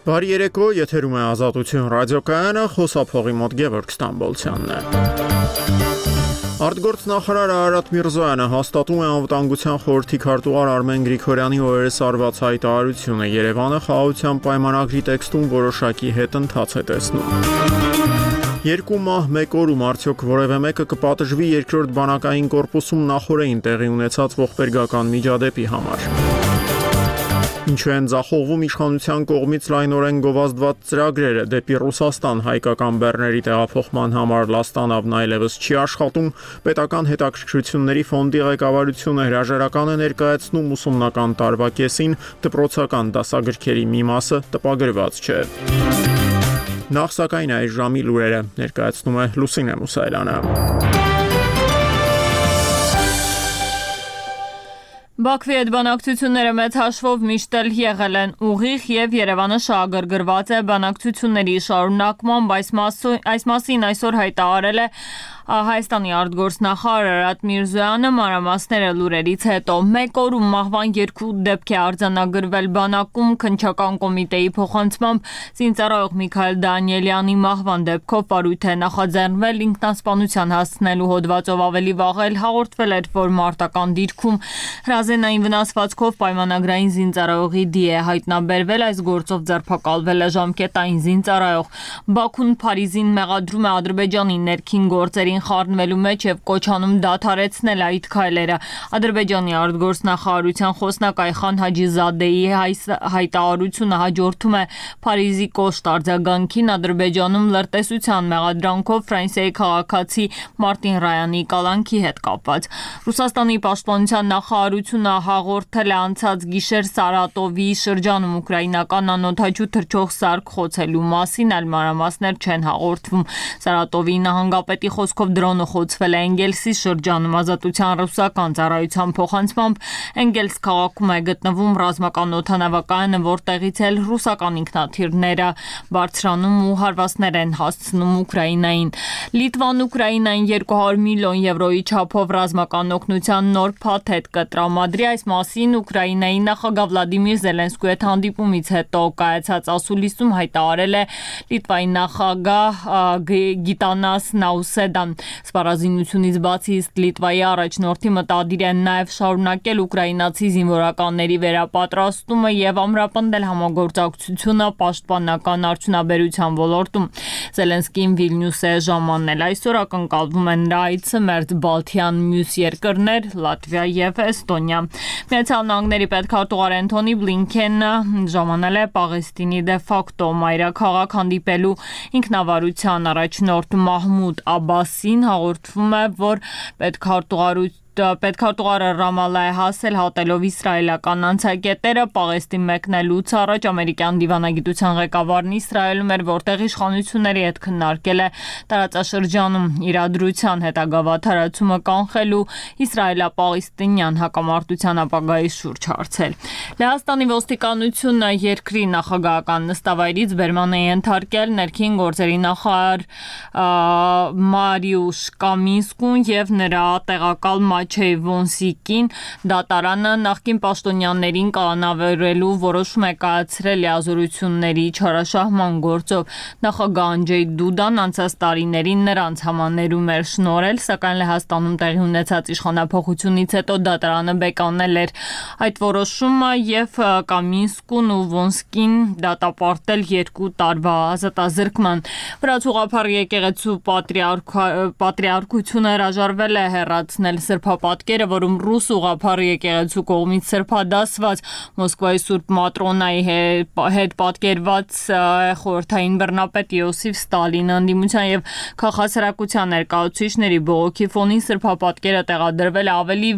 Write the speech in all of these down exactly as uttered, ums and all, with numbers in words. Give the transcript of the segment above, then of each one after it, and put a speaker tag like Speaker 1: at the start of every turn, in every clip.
Speaker 1: Բարի երեկո, եթերում է Ազատություն ռադիոկայանը, խոսափողի մոտ Գևորգ Ստամբոլցյանն է։ Արտգործնախարար Արարատ Միրզոյանը հաստատում է Անվտանգության խորհրդի քարտուղար Արմեն Գրիգորյանի օրերս արված հայտարարությունը։ Երևանը խաղաղության պայմանագրի տեքստում որոշակի հետընթաց է տեսնում։ Երկու մահ մեկ օրում արդյոք որևէ մեկը կպատժվի երկրորդ բանակային կորպուսում նախօրեին տեղի ունեցած ողբերգական միջադեպի համար։ Ինչու են ձախողվում իշխանության կողմից լայնորեն գովազդված ծրագրերը դեպի Ռուսաստան հայկական բեռների տեղափոխման համար Լաստանավն այլևս չի աշխատում, պետական հետաքրքրությունների ֆոնդի ղեկավարությունը հրաժարական է ներկայացնում ուսումնական տարվա կեսին, դպրոցական դասագրքերի մի մասը տպագրված չէ։ Նախ սակայն այս ժամի լուրերը ներկայացնում է Լուսինե Մուսայելյանը։
Speaker 2: Բաքվի հետ բանակցությունները մեծ հաշվով միշտ էլ եղել են ուղիղ եւ Երևանը շահագրգռված է բանակցությունների շարունակմամբ, այս մասին այսօր հայտարարել է Հայաստանի արտգործնախարար Արարատ Միրզոյանը, մանրամասները լուրերից հետո։ Մեկ օրում մահվան երկու դեպք է արձանագրվել բանակում քննչական կոմիտեի փոխանցմամբ զինծառայող Միքայել Դանիելյանի մահվան դեպքով վարույթ է նախաձեռնվել, ինքնասպանության հասցնելու հոդվածով ավելի վաղ էլ հաղորդվել էր, որ մարտական դիրքում հրազենային վնասվածքով պայմանագրային զինծառայողի դի է հայտնաբերվել, այս գործով ձերբակալվել է ժամկետային զինծառայող։ Բաքուն Փարիզին մեղադրում է Ադրբեջանի ներքին գործերին խառնվելու մեջ եւ կոչանում դադարեցնել այդ քայլերը։ Ադրբեջանի արտգործնախարարության խոսնակ Այխան Հաջիզադեի հայտարարությունը հաջորդում է Փարիզի կոշտ արձագանքին Ադրբեջանում լրտեսության մեղադրանքով Ֆրանսիայի քաղաքացի Մարտին Ռայանի կալանքի հետ կապված։ Ռուսաստանի պաշտպանության նախարարությունը հաղորդել է անցած գիշեր Սարատովի շրջանում ուկրաինական անօդաչու թռչող սարք խոցելու մասին, այլ մանրամասներ չեն հաղորդվում։ Սարատովի նահանգապետի խոսքով դրոնը խոցվել է Էնգելսի շրջանում, Ազատության ռուսական ծառայության փոխանցմամբ Էնգելս քաղաքում է գտնվում ռազմական օդանավակայանը, որտեղից էլ ռուսական ինքնաթիռները բարձրանում ու հարվածներ են հասցնում Ուկրաինային։ Լիտվան Ուկրաինային երկու հարյուր միլիոն եվրոյի չափով ռազմական օգնության նոր փաթեթ կտրամադրի, այս մասին Ուկրաինայի նախագահ Վլադիմիր Զելենսկուի հետ հանդիպումից հետո կայացած ասուլիսում հայտարարել է Լիտվայի նախագահ Գիտանաս Նաուսեդան։ Սպառազինությունից բացի Լիտվայի առաջնորդի մտադիր է նաև շարունակել ուկրաինացի զինվորականների վերապատրաստումը եւ ամրապնդել համագործակցությունը պաշտպանական արդյունաբերության ոլորտում։ Զելենսկին Վիլնյուս է ժամանել այսօր ակնկալվում են նրա այցը մերձ Բալթյան մյուս երկրներ Լատվիա եւ Էստոնիա։ Միացյալ Նահանգների պետքարտուղար Անթոնի Բլինքենը ժամանել է Պաղեստինի դե ֆակտո մայրաքաղաք հանդիպելու ինքնավարության առաջնորդ Մահմուդ Աբասին, հաղորդվում է, որ պետքարտուղարությունը Պետքարտուղարը Ռամալլա է հասել հատելով իսրայելական անցակետերը, Պաղեստին մեկնելուց առաջ ամերիկյան դիվանագիտության ղեկավարն Իսրայելում էր, որտեղ իշխանությունների հետ քննարկել է տարածաշրջանում իրադրության հետագա վատթարացումը կանխելու իսրայելա-պաղեստինյան հակամարտության ապագայի շուրջ հարցել։ Լեհաստանի ոստիկանությունը երկրի նախագահական նստավայրից բերման է ենթարկել ներքին գործերի նախարար Մարիուշ Կամինսկուն եւ նրա տեղակալ Մաչեյ Վոնսիկին։ Դատարանը նախկին պաշտոնյաներին կանանավերելու որոշում է կայացրել լիազորությունների չարաշահման գործով։ Նախագահ Անջեյ Դուդան անցած տարիներին նրանց համաներում էր շնորհել, սակայն Լեհաստանում տեղի ունեցած իշխանափոխությունից հետո դատարանը բեկանել էր այդ որոշումը եւ Կամինսկուն ու Վոնսկին դատապարտել երկու տարվա ազատազրկման։ Վրաց եկեղեցու պատրիարքությունը հրաժարվել է հեռացնել սրբապատկերը, որում ռուս ուղղափառ եկեղեցու կողմից սրբադասված Մոսկվայի Սուրբ Մատրոնայի հետ պատկերված խորհրդային բռնապետ Յոսիֆ Ստալին ընդդիմության եւ քաղաքասրակության ներկայացուցիչների բողոքի ֆոնին սրբապատկերը տեղադրվել ավելի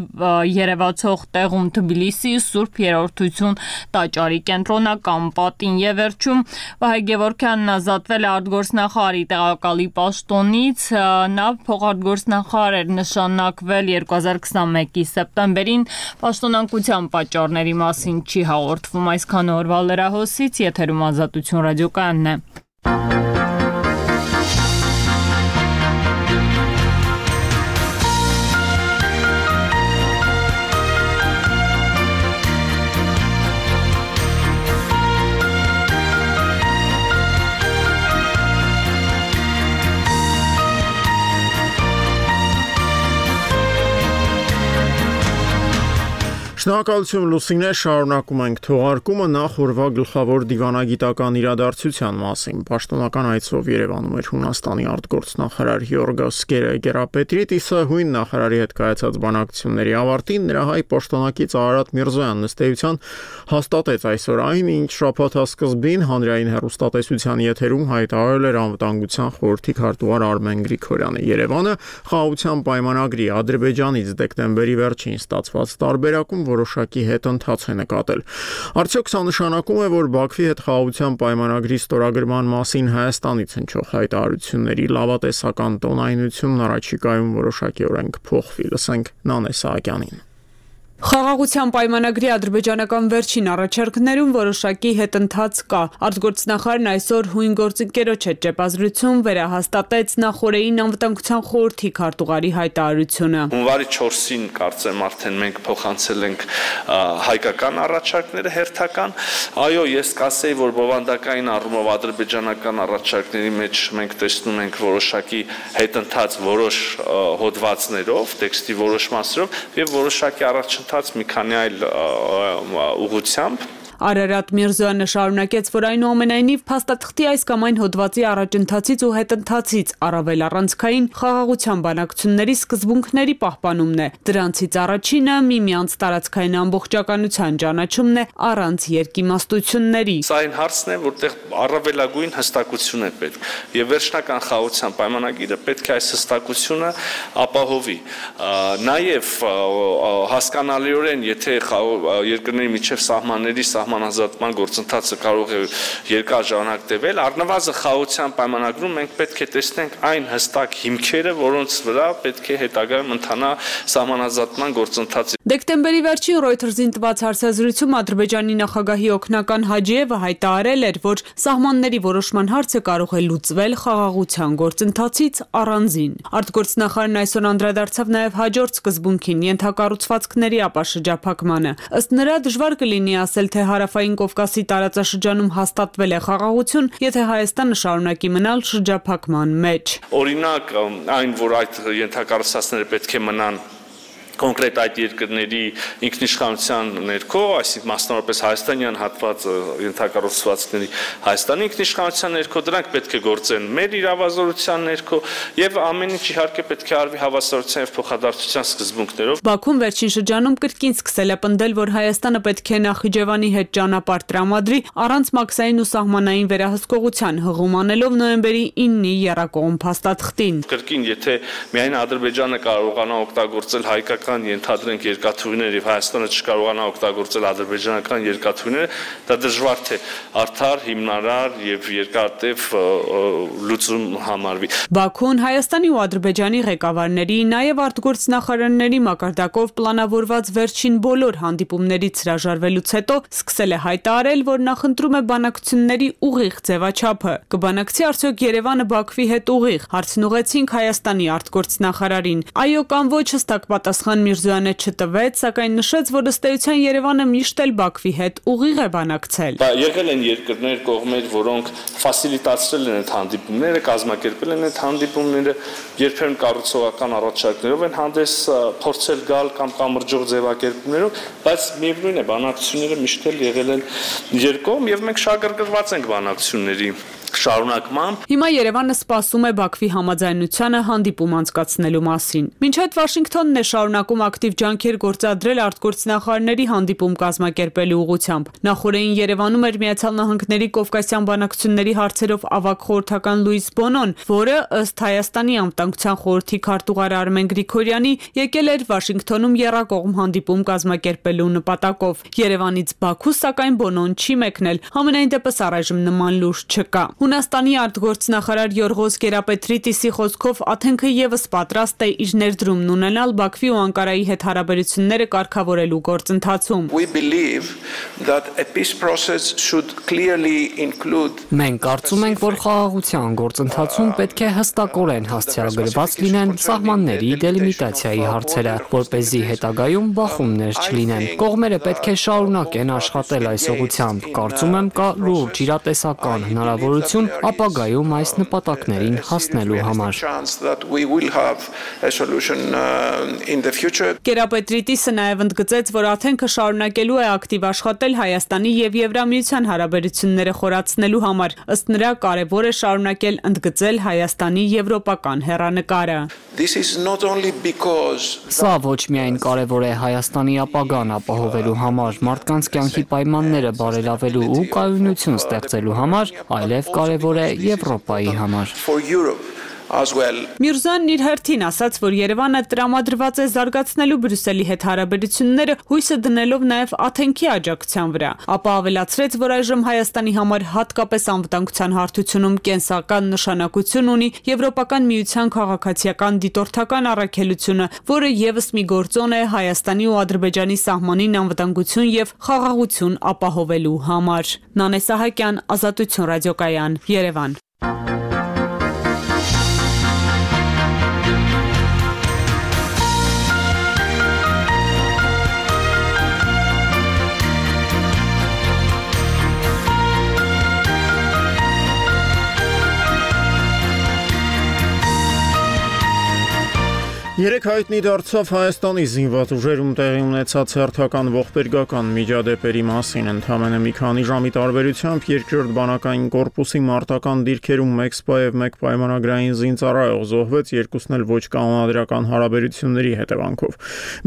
Speaker 2: երևացող տեղում Թբիլիսի Սուրբ Երրորդություն տաճարի կենտրոնական պատին եւ վերջում Վահե Գևորգյանն ազատվել է արտգործնախարարի տեղակալի պաշտոնից, նա փոխարտգործնախարար էր նշանակվել երկու հազար քսանմեկի սեպտեմբերին, պաշտոնանկության պատճառների մասին չի հաղորդվում այսքան օրվա լրահոսից, եթերում Ազատություն ռադիոկայանն է։
Speaker 1: Շնորհակալություն Լուսինե, շարունակում ենք թողարկումը նախ օրվա գլխավոր դիվանագիտական իրադարձության մասին։ Պաշտոնական այցով Երևանում էր Հունաստանի արտգործնախարար Գյորգոս Գերապետրիտիսը, հույն նախարարի հետ կայացած բանակցությունների ավարտին նրա հայ պաշտոնակից Արարատ Միրզոյանն ըստ էության հաստատեց այսօր այն, ինչ շաբաթասկզբին հանրային հեռուստատեսության եթերում հայտարարել էր Անվտանգության խորհրդի քարտուղար Արմեն Գրիգորյանը։ Երևանը խաղաղության պայմանագրի Ադրբեջանից դեկտեմբերի վերջին ստացված տարբերակում որոշակի հետընթաց է նկատել։ Արդյոք սա նշանակում է, որ Բաքվի հետ խաղաղության պայմանագրի ստորագրման մասին Հայաստանից հնչող հայտարարությունների լավատեսական տոնայնությունն առաջիկայում որոշակիորեն կփոխվի։ Լսենք Նանե Սահակյանին։
Speaker 3: Խաղաղության պայմանագրի ադրբեջանական վերջին առաջարկներում որոշակի հետընթաց կա։ Արտգործնախարարն այսօր հույն գործընկերոջ հետ ճեպազրույցում վերահաստատեց նախօրեին Անվտանգության խորհրդի քարտուղարի հայտարարությունը։
Speaker 4: Հունվարի չորսին կարծեմ արդեն մենք փոխանցել ենք հայկական առաջարկները հերթական։ Այո, ես կասեի, որ բովանդակային առումով ադրբեջանական առաջարկների մեջ մենք տեսնում ենք որոշակի հետընթաց որոշ հոդվածներով, տեքստի որոշ մասերով եւ որոշակի առաջ մի քանի այլ ուղղությամբ։
Speaker 3: Արարատ Միրզոյանը շարունակեց, որ այնուամենայնիվ փաստաթղթի այս կամ այն հոդվածի առաջընթացից ու հետընթացից առավել առանցքային խաղաղության բանակցությունների սկզբունքների պահպանումն է։ Դրանցից առաջինը միմյանց տարածքային ամբողջականության ճանաչումն է առանց երկիմաստությունների։
Speaker 4: Սա այն հարցն է, որտեղ առավելագույն հստակություն է պետք, եւ վերջնական խաղաղության պայմանագիրը պետք է այս հստակությունը ապահովի։ Նաեւ հասկանալիորեն, եթե երկրների միջև սահմանների սահմանազատման գործընթացը կարող է երկար ժամանակ տևել, առնվազն խաղաղության պայմանագրում մենք պետք է տեսնենք այն հստակ հիմքերը, որոնց վրա պետք է հետագայում ընթանա սահմանազատման գործընթացը։
Speaker 3: Դեկտեմբերի վերջին Reuters-ին տված հարցազրույցում Ադրբեջանի նախագահի օգնական Հաջիևը հայտարարել էր, որ սահմանների որոշման հարցը կարող է լուծվել խաղաղության գործընթացից առանձին։ Արտգործնախարարն այսօր անդրադարձավ նաև հաջորդ սկզբունքին՝ ենթակառուցվածքների ապաշրջափակմանը։ Ըստ նրա դժվար կլինի ասել, թե Հարավային Կովկասի տարածաշրջանում հաստատվել է խաղաղություն, եթե Հայաստանը շարունակի մնալ շրջափակման մեջ։
Speaker 4: Օրինակ, այն, որ այդ ենթակառուցվածքները պետք է մնան կոնկրետ այդ երկրների ինքնիշխանության ներքո, այսինքն մասնավորապես հայաստանյան հատված ենթակառուցվածքների Հայաստանի ինքնիշխանության ներքո, դրանք պետք է գործեն մեր իրավազորության ներքո եւ ամեն ինչ իհարկե պետք է արվի հավասարության եւ փոխադարձության սկզբունքներով։
Speaker 3: Բաքուն վերջին շրջանում կրկին սկսել է պնդել, որ Հայաստանը պետք է Նախիջևանի հետ ճանապարհ տրամադրի առանց մաքսային ու սահմանային վերահսկողության, հղում անելով նոյեմբերի իննի եռակողմ փաստաթղթին։
Speaker 4: Կրկին, եթե միայն Ադրբեջանը կարողանա օգտագործել հայկական ենթադրենք երկաթուղիներ եւ Հայաստանը չկարողանա օգտագործել ադրբեջանական երկաթուղիները, դա դժվար թե արդար, հիմնարար եւ երկարատև լուծում համարվի։
Speaker 3: Բաքուն Հայաստանի ու Ադրբեջանի ղեկավարների, նաեւ արտգործնախարարների մակարդակով պլանավորված վերջին բոլոր հանդիպումներից հրաժարվելուց հետո սկսել է հայտարարել, որ նախընտրում է բանակցությունների ուղիղ ձևաչափը։ Կբանակցի արդյոք Երևանը Բաքվի հետ ուղիղ։ Հարցն ուղեցինք Հայաստանի արտգործնախարարին։ Այո կամ ոչ հստակ պատասխան Միրզոյանը չտվեց, սակայն նշեց, որ ըստ էության Երևանը միշտ էլ Բաքվի հետ ուղիղ է բանակցել։
Speaker 4: Եղել են երկրներ, կողմեր, որոնք ֆասիլիտացրել են այդ հանդիպումները, կազմակերպել են այդ հանդիպումները, երբեմն կառուցողական առաջարկներով են հանդես փորձել գալ կամ կամրջող ձևակերպումներով, բայց միևնույն է, բանակցությունները միշտ էլ եղել են երկկողմ եւ մենք շահագրգռված ենք բանակցությունների շարունակմամբ։
Speaker 3: Հիմա Երևանը սպասում է Բաքվի համաձայնությանը հանդիպում անցկացնելու մասին։ Մինչ այդ Վաշինգտոնն է շարունակում ակտիվ ջանքեր գործադրել արտգործնախարարների հանդիպում կազմակերպելու ուղղությամբ։ Նախորդին Երևանում էր Միացյալ Նահանգների Կովկասյան բանակցությունների հարցերով ավագ խորհրդական Լուիս Բոնոն, որը ըստ Հայաստանի Անվտանգության խորհրդի քարտուղար Արմեն Գրիգորյանի եկել էր Վաշինգտոնում եռակողմ հանդիպում կազմակերպելու նպատակով։ Երևանից Բաքու սակայն Բոնոն չի մեկնել, համենայն դեպս առայժմ նման լուր չկա։ Հունաստանի արտգործնախարար Գյորգոս Գերապետրիտիսի խոսքով Աթենքը եւս պատրաստ է իր ներդրումն ունենալ Բաքվի ու Անկարայի հետ հարաբերությունները կարգավորելու գործընթացում։
Speaker 5: Մենք կարծում ենք, որ խաղաղության գործընթացում պետք է հստակորեն հասցեագրված լինեն սահմանների դելիմիտացիայի հարցերը, որպեսզի հետագայում բախումներ չլինեն։ Կողմերը պետք է շարունակեն աշխատել այս ուղղությամբ։ Կարծում եմ, կա լուրջ իրատեսական հնարավորություն հաջողություն ապագայում այս նպատակներին հասնելու համար։
Speaker 3: Գերապետրիտիսը նաև ընդգծեց, որ Աթենքը շարունակելու է ակտիվ աշխատել Հայաստանի եւ Եվրամիության հարաբերությունները խորացնելու համար։ Ըստ նրա, կարևոր է շարունակել ընդգծել Հայաստանի եվրոպական հեռանկարը։
Speaker 5: Սա ոչ միայն կարևոր է Հայաստանի ապագան ապահովելու համար, մարդկանց կյանքի պայմանները բարելավելու ու կայունություն ստեղծելու համար, այլև կարևոր է Եվրոպայի համար։
Speaker 3: Միրզոյանն իր հերթին ասաց, որ Երևանը տրամադրված է զարգացնելու Բրյուսելի հետ հարաբերությունները, հույսը դնելով նաև Աթենքի աջակցության վրա, ապա ավելացրեց, որ այժմ Հայաստանի համար հատկապես անվտանգության հարթությունում կենսական նշանակություն ունի Եվրոպական միության քաղաքացիական դիտորդական առաքելությունը, որը ևս մի գործոն է Հայաստանի ու Ադրբեջանի սահմանին անվտանգություն եւ խաղաղություն ապահովելու համար։ Նանե Սահակյան, Ազատություն ռադիոկայան, Երևան։
Speaker 1: Երեք հայտնի դարձավ Հայաստանի զինված ուժերում տեղի ունեցած հերթական ողբերգական միջադեպերի մասին, ընդամենը մի քանի ժամի տարբերությամբ երկրորդ բանակային կորպուսի մարտական դիրքերում մեկ սպա եւ մեկ պայմանագրային զինծառայող զոհվեց, երկուսն էլ ոչ կանոնադրական հարաբերությունների հետևանքով։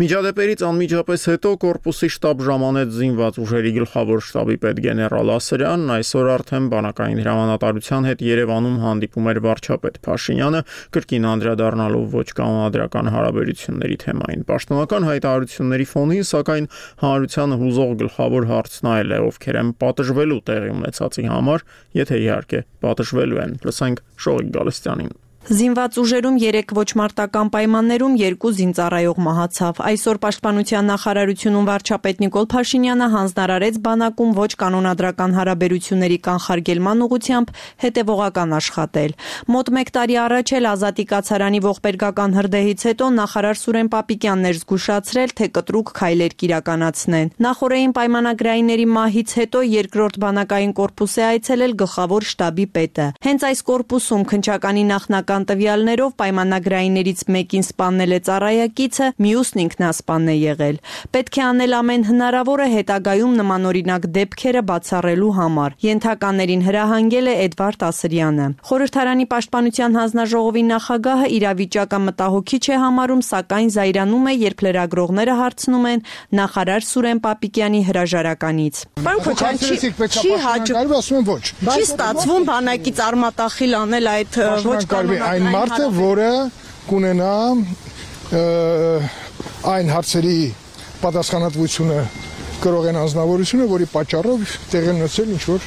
Speaker 1: Միջադեպերից անմիջապես հետո կորպուսի շտաբ ժամանեց զինված ուժերի գլխավոր շտաբի պետ գեներալ Ասրյանն, այսօր արդեն բանակային հրամանատարության հետ Երևանում հանդիպում էր վարչապետ Փաշինյանը, կրկին անդրադառնալով ոչ կանոնադրական հարաբերությունների թեմային։ Պաշտոնական հայտարարությունների ֆոնին, սակայն հանրությանը հուզող գլխավոր հարցն այլ է, ովքեր են պատժվելու տեղի ունեցածի համար, եթե իհարկե պատժվելու են։ Լսենք Շողիկ Գալստյանին։
Speaker 6: Զինված ուժերում երեք ոչ մարտական պայմաններում երկու զինծառայող մահացավ։ Այսօր Պաշտպանության նախարարությունում վարչապետ Նիկոլ Փաշինյանը հանձնարարեց բանակում ոչ կանոնադրական հարաբերությունների կանխարգելման ուղղությամբ հետևողական աշխատել։ Մոտ մեկ տարի առաջ էլ Ազատի կացարանի ողբերգական հրդեհից հետո նախարար Սուրեն Պապիկյանն էր զգուշացրել, թե կտրուկ քայլեր կիրականացնեն։ Նախորդային պայմանագրայինների մահից հետո երկրորդ բանակային կորպուս է այցելել գլխավոր շտաբի պետը։ Հենց այս կորպուսում քննչականի նախնական տվյալներով պայմանագրայիններից մեկին սպանել է ծառայակիցը, մյուսն ինքնասպան է եղել։ Պետք է անել ամեն հնարավորը հետագայում նմանօրինակ դեպքերը բացառելու համար։ Ենթականերին հրահանգել է Էդվարդ Ասրյանը։ Խորհրդարանի պաշտպանության հանձնաժողովի նախագահը իրավիճակը մտահոգիչ է համարում, սակայն զայրանում է, երբ լրագրողները հարցնում են նախարար Սուրեն Պապիկյանի հրաժարականից։
Speaker 7: Պարոն Քոչարյան, չի հաջողվում, չի ստացվում բանակից արմատախիլ անել այդ ոչ կանոնադրական
Speaker 8: այն մարդը, որը կունենա այն հարցերի պատասխանատվությունը կրող են անձնավորությունը, որի պատճառով տեղի ունեցել ինչ-որ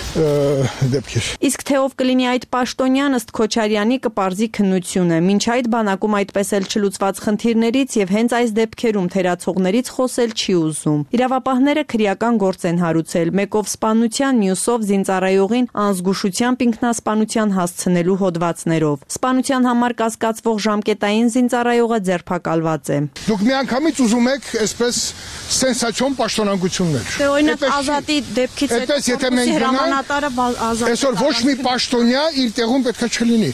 Speaker 8: դեպքեր։
Speaker 6: Իսկ թե ով կլինի այդ պաշտոնյան, ըստ Քոչարյանի, կպարզի քննությունը։ Մինչ այդ բանակում այդպես էլ չլուծված խնդիրներից եւ հենց այս դեպքերում թերացողներից խոսել չի ուզում։ Իրավապահները քրեական գործ են հարուցել, մեկով սպանության, մյուսով զինծառայողին անզգուշությամբ ինքնասպանության հասցնելու հոդվածներով։ Սպանության համար կասկածվող ժամկետային զինծառայողը ձերբակալված է։
Speaker 8: Դուք միանգամից ուզում եք այսպես սենսացիոն պաշտոնանկություններ։
Speaker 6: Դե օրինակ Ազատի դեպքից հետո
Speaker 8: այսօր ոչ մի պաշտոնյա իր տեղում պետք է չլինի։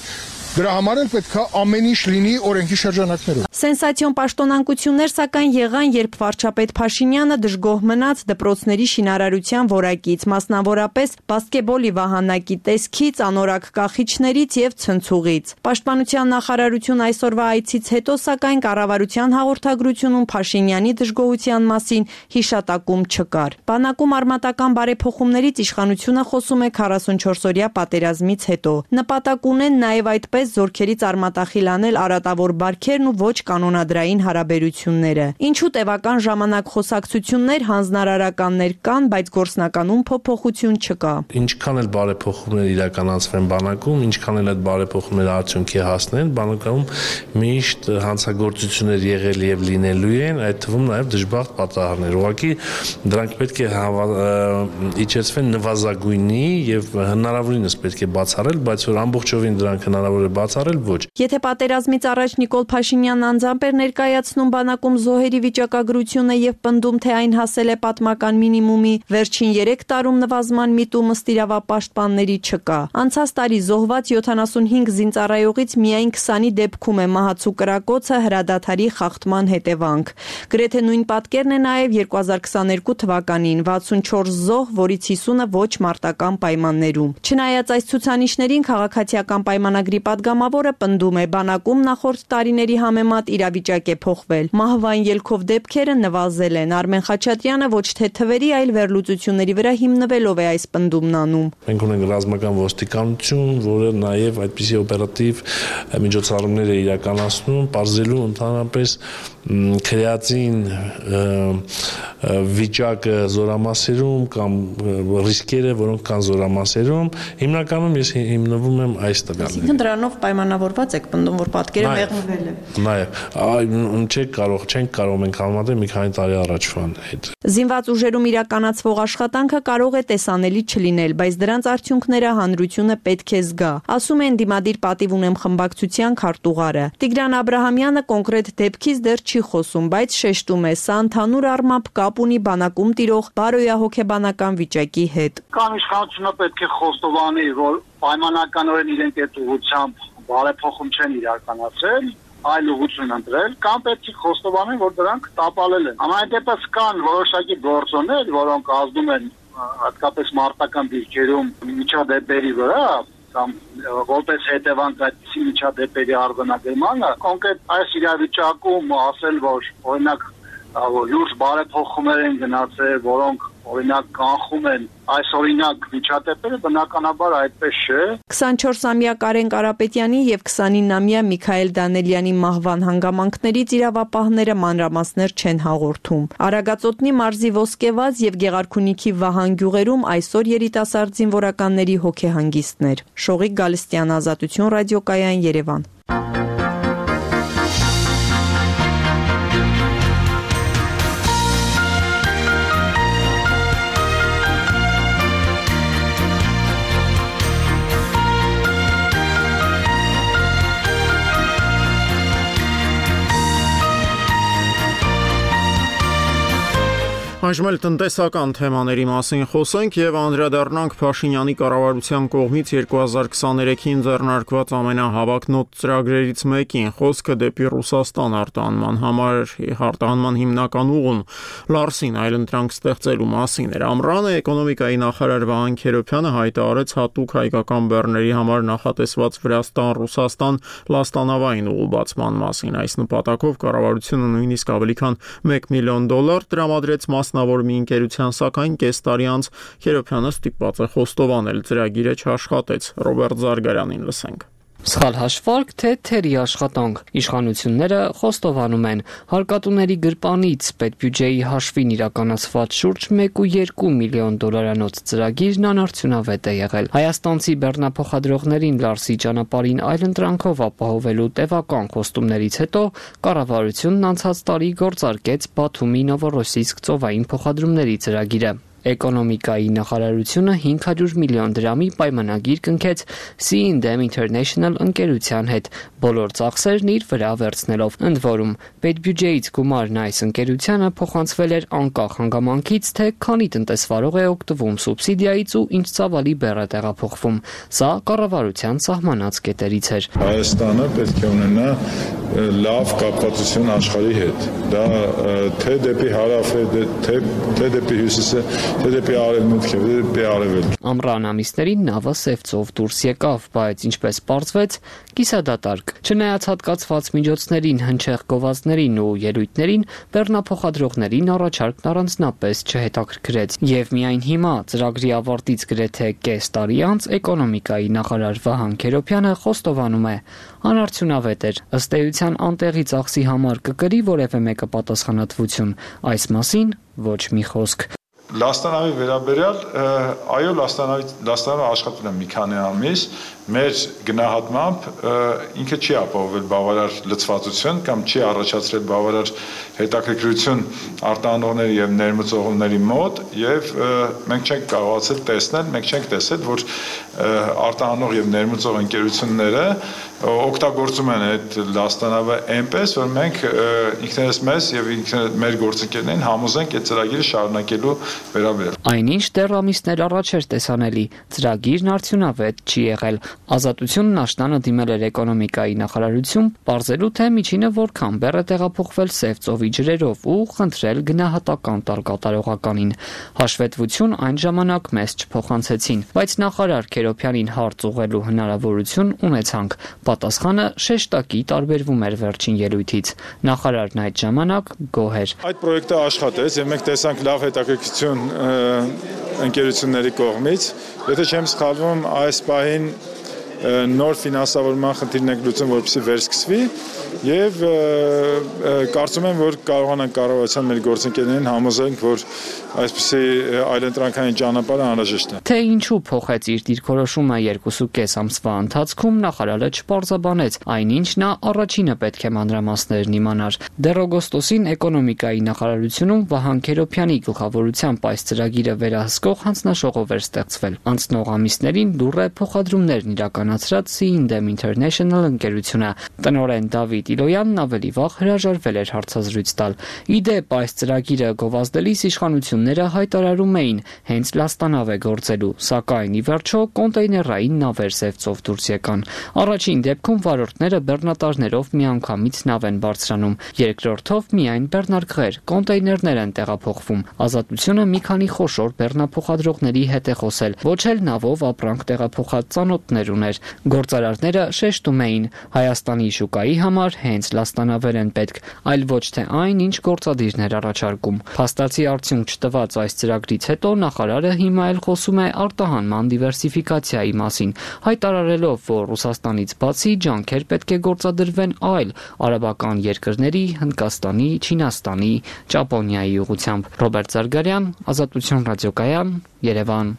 Speaker 8: Դրա համար էլ պետք է ամեն ինչ լինի օրենքի շրջանակներում։
Speaker 6: Սենսացիոն պաշտոնանկություններ սակայն եղան, երբ վարչապետ Փաշինյանը դժգոհ մնաց դպրոցների շինարարության որակից, մասնավորապես բասկետբոլի վահանակի տեսքից, անորակ կախիչներից եւ ցնցուղից։ Պաշտպանության նախարարություն այսօրվա այցից հետո սակայն կառավարության հաղորդագրությունում Փաշինյանի դժգոհության մասին հիշատակում չկար։ Բանակում արմատական բարեփոխումներից իշխանությունը խոսում է քառասունչորսօրյա պատերազմից հետո։ Նպատակ ունեն նաեւ այդպես զորքերից արմատախիլ անել արատավոր բարքերն ու ոչ կանոնադրային հարաբերությունները։ Ինչու տևական ժամանակ խոսակցություններ, հանձնարարականներ կան, բայց գործնականում փոփոխություն չկա։
Speaker 4: Ինչքան էլ բարեփոխումներ իրականացվեն բանակում, ինչքան էլ այդ բարեփոխումները արդյունքի հասնեն, բանակում միշտ հանցագործություններ եղել եւ լինելու են, այդ թվում նաեւ դժբախտ պատահարներ։ Ուղղակի դրանք պետք է իջեցվեն նվազագույնի եւ հնարավորինս պետք է բացառել, բայց որ ամբողջովին դրանք հնարավոր է բացառել ոչ։
Speaker 6: Եթե պատերազմից առաջ Նիկոլ Փաշինյանն անձամբ էր ներկայացնում բանակում զոհերի վիճակագրությունը եւ պնդում, թե այն հասել է պատմական մինիմումի, վերջին երեք տարում նվազման միտումը ըստ իրավապաշտպանների չկա։ Անցած տարի զոհված յոթանասունհինգ զինծառայողից միայն քսանի դեպքում է մահացու կրակոցը հրադադարի խախտման հետևանք։ Գրեթե նույն պատկերն է նաև երկու հազար քսաներկու թվականին՝ վաթսունչորս զոհ, որից հիսունը ոչ մարտական պայմաններում։ Չնայած այս ցուցանիշներին, քաղաքացիական պայմանագրի падգամավորը պնդում է, բանակում նախորդ տարիների համեմատ իրավիճակ է փոխվել։ Մահվան ելքով դեպքերը նվազել են։ Արմեն Խաչատրյանը ոչ թե թվերի, այլ վերլուծությունների վրա հիմնվելով է այս պնդումն անում։
Speaker 4: Մենք ունենք ռազմական ոստիկանություն, որը նաև այդպիսի օպերատիվ միջոցառումներ է իրականացնում, բարձելու ընդհանրապես քրեածին վիճակը զորամասերում կամ ռիսկերը, որոնք կան զորամասերում, հիմնականում ես հիմնվում եմ այս տվյալներին։
Speaker 6: Այսինքն դրանով պայմանավորված եք պնդում, որ պատկերը մեղմվել է։
Speaker 4: Նաև, չենք կարող, չենք կարող մենք համեմատել մի քանի տարի առաջվան հետ։
Speaker 6: Զինված ուժերում իրականացվող աշխատանքը կարող է տեսանելի չլինել, բայց դրանց արդյունքները հանրությունը պետք է զգա, ասում է ընդդիմադիր պատիվ ունեմ խմբակցության քարտուղարը։ Տիգրան Աբրահամյանը կոնկրետ դեպքից դեռ չի խոսում, բայց շեշտում է, սա ընդհանուր առմամբ կապ ունի բանակում տիրող բարոյահոգեբանական վիճակի հետ։
Speaker 9: Կամ իշխանությունը պետք է խոստովանի, որ պայմանականորեն իրենք այդ ուղղությամբ բարեփոխում չեն իրականացրել, այլ ուղղություն ընտրել, կամ պետք է խոստովանեն, որ դրանք տապալել են։ Ամեն դեպս կան որոշակի գործոններ, որոնք ազդում են հատկապես մարտական դիրքերում միջադեպերի վրա, կամ որպես հետևանք այդպիսի միջադեպերի արձանագրմանը, կոնկրետ այս իրավիճակում ասել, որ օրինակ լուրջ բարեփոխումներ են գնացել, որոնք օրինակ կանխում են այս օրինակ միջադեպերը, բնականաբար այդպես չէ։
Speaker 6: քսանչորսամյա Կարեն Կարապետյանի եւ քսանինամյա Միքայել Դանելյանի մահվան հանգամանքներից իրավապահները մանրամասներ չեն հաղորդում։ Արագածոտնի մարզի Ոսկեվազ եւ Գեղարքունիքի Վահան գյուղերում այսօր երիտասարդ զինվորականների հոգեհանգիստներ։ Շողիկ Գալստյան, Ազատություն ռադիոկայան, Երևան։
Speaker 1: Այժմ էլ տնտեսական թեմաների մասին խոսենք եւ անդրադառնանք Փաշինյանի կառավարության կողմից երկու հազար քսաներեքին ձեռնարկված ամենահավակնոտ ծրագրերից մեկին, խոսքը դեպի Ռուսաստան արտահանման համար արտահանման հիմնական ուղուն Լարսին այլընտրանք ստեղծելու մասին էր։ Ամռանը էկոնոմիկայի նախարար Վահան Քերոբյանը հայտարարեց հատուկ հայկական բեռների համար նախատեսված Վրաստան-Ռուսաստան լաստանավային ուղու բացման մասին։ Այս նպատակով կառավարությունը նույնիսկ ավելի քան մեկ միլիոն դոլար տրամադրեց մասնավոր մի ընկերության, սակայն կես տարի անց Քերոբյանը ստիպված է խոստովանել, ծրագիրը չաշխատեց։ Ռոբերտ Զարգարյանին լսենք։
Speaker 5: Սխալ հաշվարկ, թե թերի աշխատանք։ Իշխանությունները խոստովանում են, հարկատուների գրպանից պետբյուջեի հաշվին իրականացված շուրջ մեկ ու երկու միլիոն դոլարանոց ծրագիրն անարդյունավետ է եղել։ Հայաստանցի բեռնափոխադրողներին Լարսի ճանապարհին այլընտրանքով ապահովելու տևական խոստումներից հետո կառավարությունն անցած տարի գործարկեց Բաթումի Նովորոսիսկ ծովային փոխադրումների ծրագիրը։ Էկոնոմիկայի նախարարությունը հինգ հարյուր միլիոն դրամի պայմանագիր կնքեց Sea and Dam International ընկերության հետ, բոլոր ծախսերն իր վրա վերցնելով։ Ընդ որում, պետբյուջեից գումարն այս ընկերությանը փոխանցվել էր անկախ հանգամանքից, թե քանի տնտեսվարող է օգտվում սուբսիդիայից ու ինչ ծավալի բեռ է տեղափոխվում։ Սա կառավարության սահմանած կետերից էր։
Speaker 10: Հայաստանը պետք է ունենա լավ կապվածություն աշխարհի հետ։ Դա թե դեպի հարավ է, թե թե դեպի հյուսիսը, թե դեպի արևմուտք է, թե դեպի արևելք։
Speaker 5: Ամռան ամիսներին նավը Սևծով դուրս եկավ, բայց ինչպես պարզվեց, կիսադատարկ։ Չնայած հատկացված միջոցներին, հնչեղ գովազդներին ու ելույթներին, բեռնափոխադրողներին առաջարկն առանձնապես չհետաքրքրեց։ Եվ միայն հիմա, ծրագրի ավարտից գրեթե կես տարի անց, էկոնոմիկայի նախարար Վահան Քերոբյանը խոստովանում է, անարդյունավետ էր, ըստ էության անտեղի ծախսի համար կկրի որևէ մեկը պատասխանատվություն, այս մասին ոչ մի խոսք։
Speaker 10: Լաստանավի վերաբերյալ, այո, լաստանավի լաստանավը աշխատել է մի քանի ամիս, մեր գնահատմամբ ինքը չի ապահովել բավարար լծվածություն կամ չի առաջացրել բավարար հետաքրքրություն արտահանողների եւ ներմուծողների մոտ եւ մենք չենք կարողացել տեսնել, մենք չենք տեսել, որ արտահանող եւ ներմուծող ընկերությունները օգտագործում են այդ լաստանավը այնպես, որ մենք ինքներս մեզ եւ ինքներս մեր գործընկերներին համոզենք այդ ծրագիրը շարունակելու վերաբերյալ։
Speaker 5: Այնինչ դեռ ամիսներ առաջ էր տեսանելի, ծրագիրն արդյունավետ չի եղել։ Ազատությունն աշնանը դիմել էր էկոնոմիկայի նախարարություն, պարզելու թե միջինը որքան բեռ է տեղափոխվել Սև ծովի ջրերով ու խնդրել գնահատական տալ կատարողականին։ Հաշվետվություն այն ժամանակ մեզ չփոխանցեցին, բայց նախարար Քերոփյանին հարց ուղղելու հնարավորություն ունեցանք։ Պատասխանը շեշտակի տարբերվում էր վերջին ելույթից։ Նախարարն այդ ժամանակ գոհ էր։
Speaker 10: Այդ պրոյեկտը աշխատեց եւ մենք տեսանք լավ հետաքրքրություն ընկերությունների կողմից։ Եթե չեմ սխալվում, այս պահին նոր ֆինանսավորման խնդիրն է լուծում, որպեսզի վերսկսվի եւ կարծում եմ, որ կարողանանք կառավարության մեր գործընկերներին համոզենք, որ այսպեսի այլընտրանքային ճանապարհը անհրաժեշտ է։
Speaker 5: Թե ինչու փոխեց իր դիրքորոշումը երկուսուկես ամսվա ընթացքում, նախարարը չպարզաբանեց, այնինչ նա առաջինը պետք է մանրամասներն իմանար։ Դեռ օգոստոսին էկոնոմիկայի նախարարությունում Վահան Քերոփյանի գլխավորությամբ այս ծրագիրը վերահսկող հանձնաժողով էր ստեղծվել։ Անցնող ամիսներին լուռ է փոխադրումներն իրականացրած Seindem International ընկերությունը։ Տնօրեն Դավիթ Իլոյանն ավելի վաղ հրաժարվել էր հարցազրույց տալ։ Ի դեպ, այս ծրագիրը գովազդելիս իշխանությունները հայտարարում էին հենց լաստանավ է գործելու, սակայն ի վերջո կոնտեյներային նավեր Սև ծով դուրս եկան։ Առաջին դեպքում վարորդները բեռնատարներով միանգամից նավ են բարձրանում, երկրորդով միայն բեռնարկղեր, կոնտեյներներ են տեղափոխվում։ Ազատությունը մի քանի խոշոր բեռնափոխադրողների հետ է խոսել, ոչ էլ նավով ապրանք տեղափոխած ծանոթներ ուներ։ Գործարարները շեշտում էին, Հայաստանի շուկայի համար հենց լաստանավեր են պետք, այլ ոչ թե այն, ինչ գործադիրներ առաջարկում։ Փաստացի արդյունք չտված այս ծրագրից հետո նախարարը հիմա էլ խոսում է արտահանման դիվերսիֆիկացիայի մասին, հայտարարելով, որ Ռուսաստանից բացի ջանքեր պետք է գործադրվեն այլ արաբական երկրների, Հնդկաստանի, Չինաստանի, Ճապոնիայի ուղղությամբ։ Ռոբերտ Զարգարյան, Ազատություն ռադիոկայան, Երևան։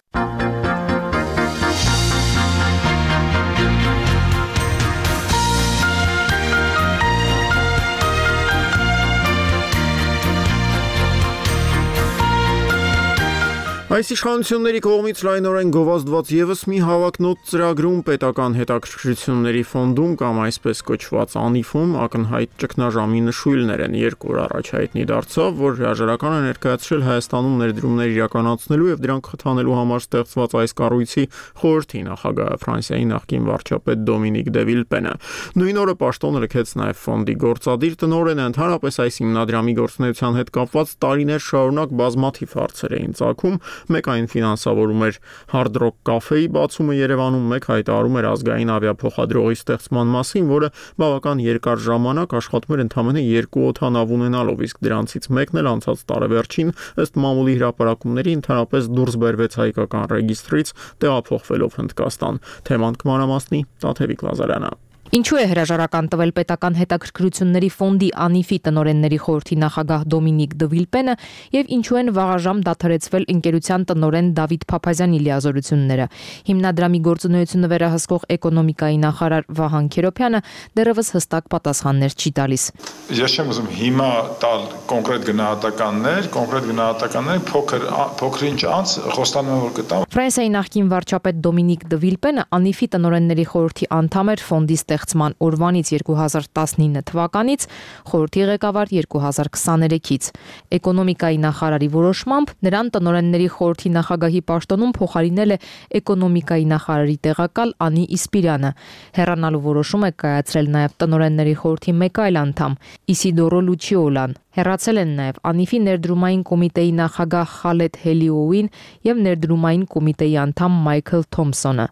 Speaker 1: Այս իշխանությունների կողմից լայնորեն գովազդված եւս մի հավակնոտ ծրագրում պետական հետաքրքրությունների ֆոնդում կամ այսպես կոչված անիֆում ակնհայտ ճգնաժամի նշույլներ են։ Երկու օր առաջ հայտնի դարձավ, որ հրաժարականը ներկայացրել Հայաստանում ներդրումներ իրականացնելու եւ դրանք խթանելու համար ստեղծված այս կառույցի խորհրդի նախագահ Ֆրանսիայի նախկին վարչապետ Դոմինիկ դե Վիլպենը։ Նույն օրը պաշտոն լքեց նաեւ ֆոնդի գործադիր տնօրենը։ Ընդհանրապես այս հիմնադրամի գործունեության հետ կապված տարիներ շարունակ բազմաթիվ հարցեր էին ծագում։ Մեկ այն ֆինանսավորում էր Hard Rock Cafe-ի բացումը Երևանում, մեկ հայտարարում էր ազգային ավիափոխադրողի ստեղծման մասին, որը բավական երկար ժամանակ աշխատում էր ընդամենը երկու օդանավ ունենալով, իսկ դրանցից մեկն էլ անցած տարեվերջին ըստ մամուլի հրապարակումների ընդհանրապես դուրս բերվեց հայկական ռեգիստրից, տեղափոխվելով Հնդկաստան։ Թեման կմանրամասնի Տաթևիկ Լազարյանը։
Speaker 11: Ինչու է հրաժարական տվել պետական հետաքրքրությունների ֆոնդի անիֆի տնօրենների խորհրդի նախագահ Դոմինիկ դե Վիլպենը եւ ինչու են վաղաժամ դադարեցվել ընկերության տնօրեն Դավիթ Փափազյանի լիազորությունները։ Հիմնադրամի գործունեությունը վերահսկող էկոնոմիկայի նախարար Վահան Քերոփյանը դեռևս հստակ պատասխաններ չի տալիս։
Speaker 10: Ես չեմ ուզում հիմա տալ կոնկրետ գնահատականներ, կոնկրետ գնահատականներ փոքր փոքրինչ անց խոստանում եմ, որ կտամ։
Speaker 11: Ֆրանսիայի նախկին վարչապետ Դոմինիկ դե Վիլպենը անիֆի տնօրենների խորհրդի անդամ էր ֆոնդի ստեղծման օրվանից երկու հազար տասնինը թվականից, խորհրդի ղեկավար երկու հազար քսաներեքից։ Էկոնոմիկայի նախարարի որոշմամբ նրան տնօրենների խորհրդի նախագահի պաշտոնում փոխարինել է էկոնոմիկայի նախարարի տեղակալ Անի Իսպիրյանը։ Հեռանալու որոշում է կայացրել նաև տնօրենների խորհրդի մեկ այլ անդամ՝ Իսիդորո Լուչիոլան։ Հեռացել են նաև Անիֆի ներդրումային կոմիտեի նախագահ Խալեդ Հելիոուին եւ ներդրումային կոմիտեի անդամ Մայքլ Թոմսոնը։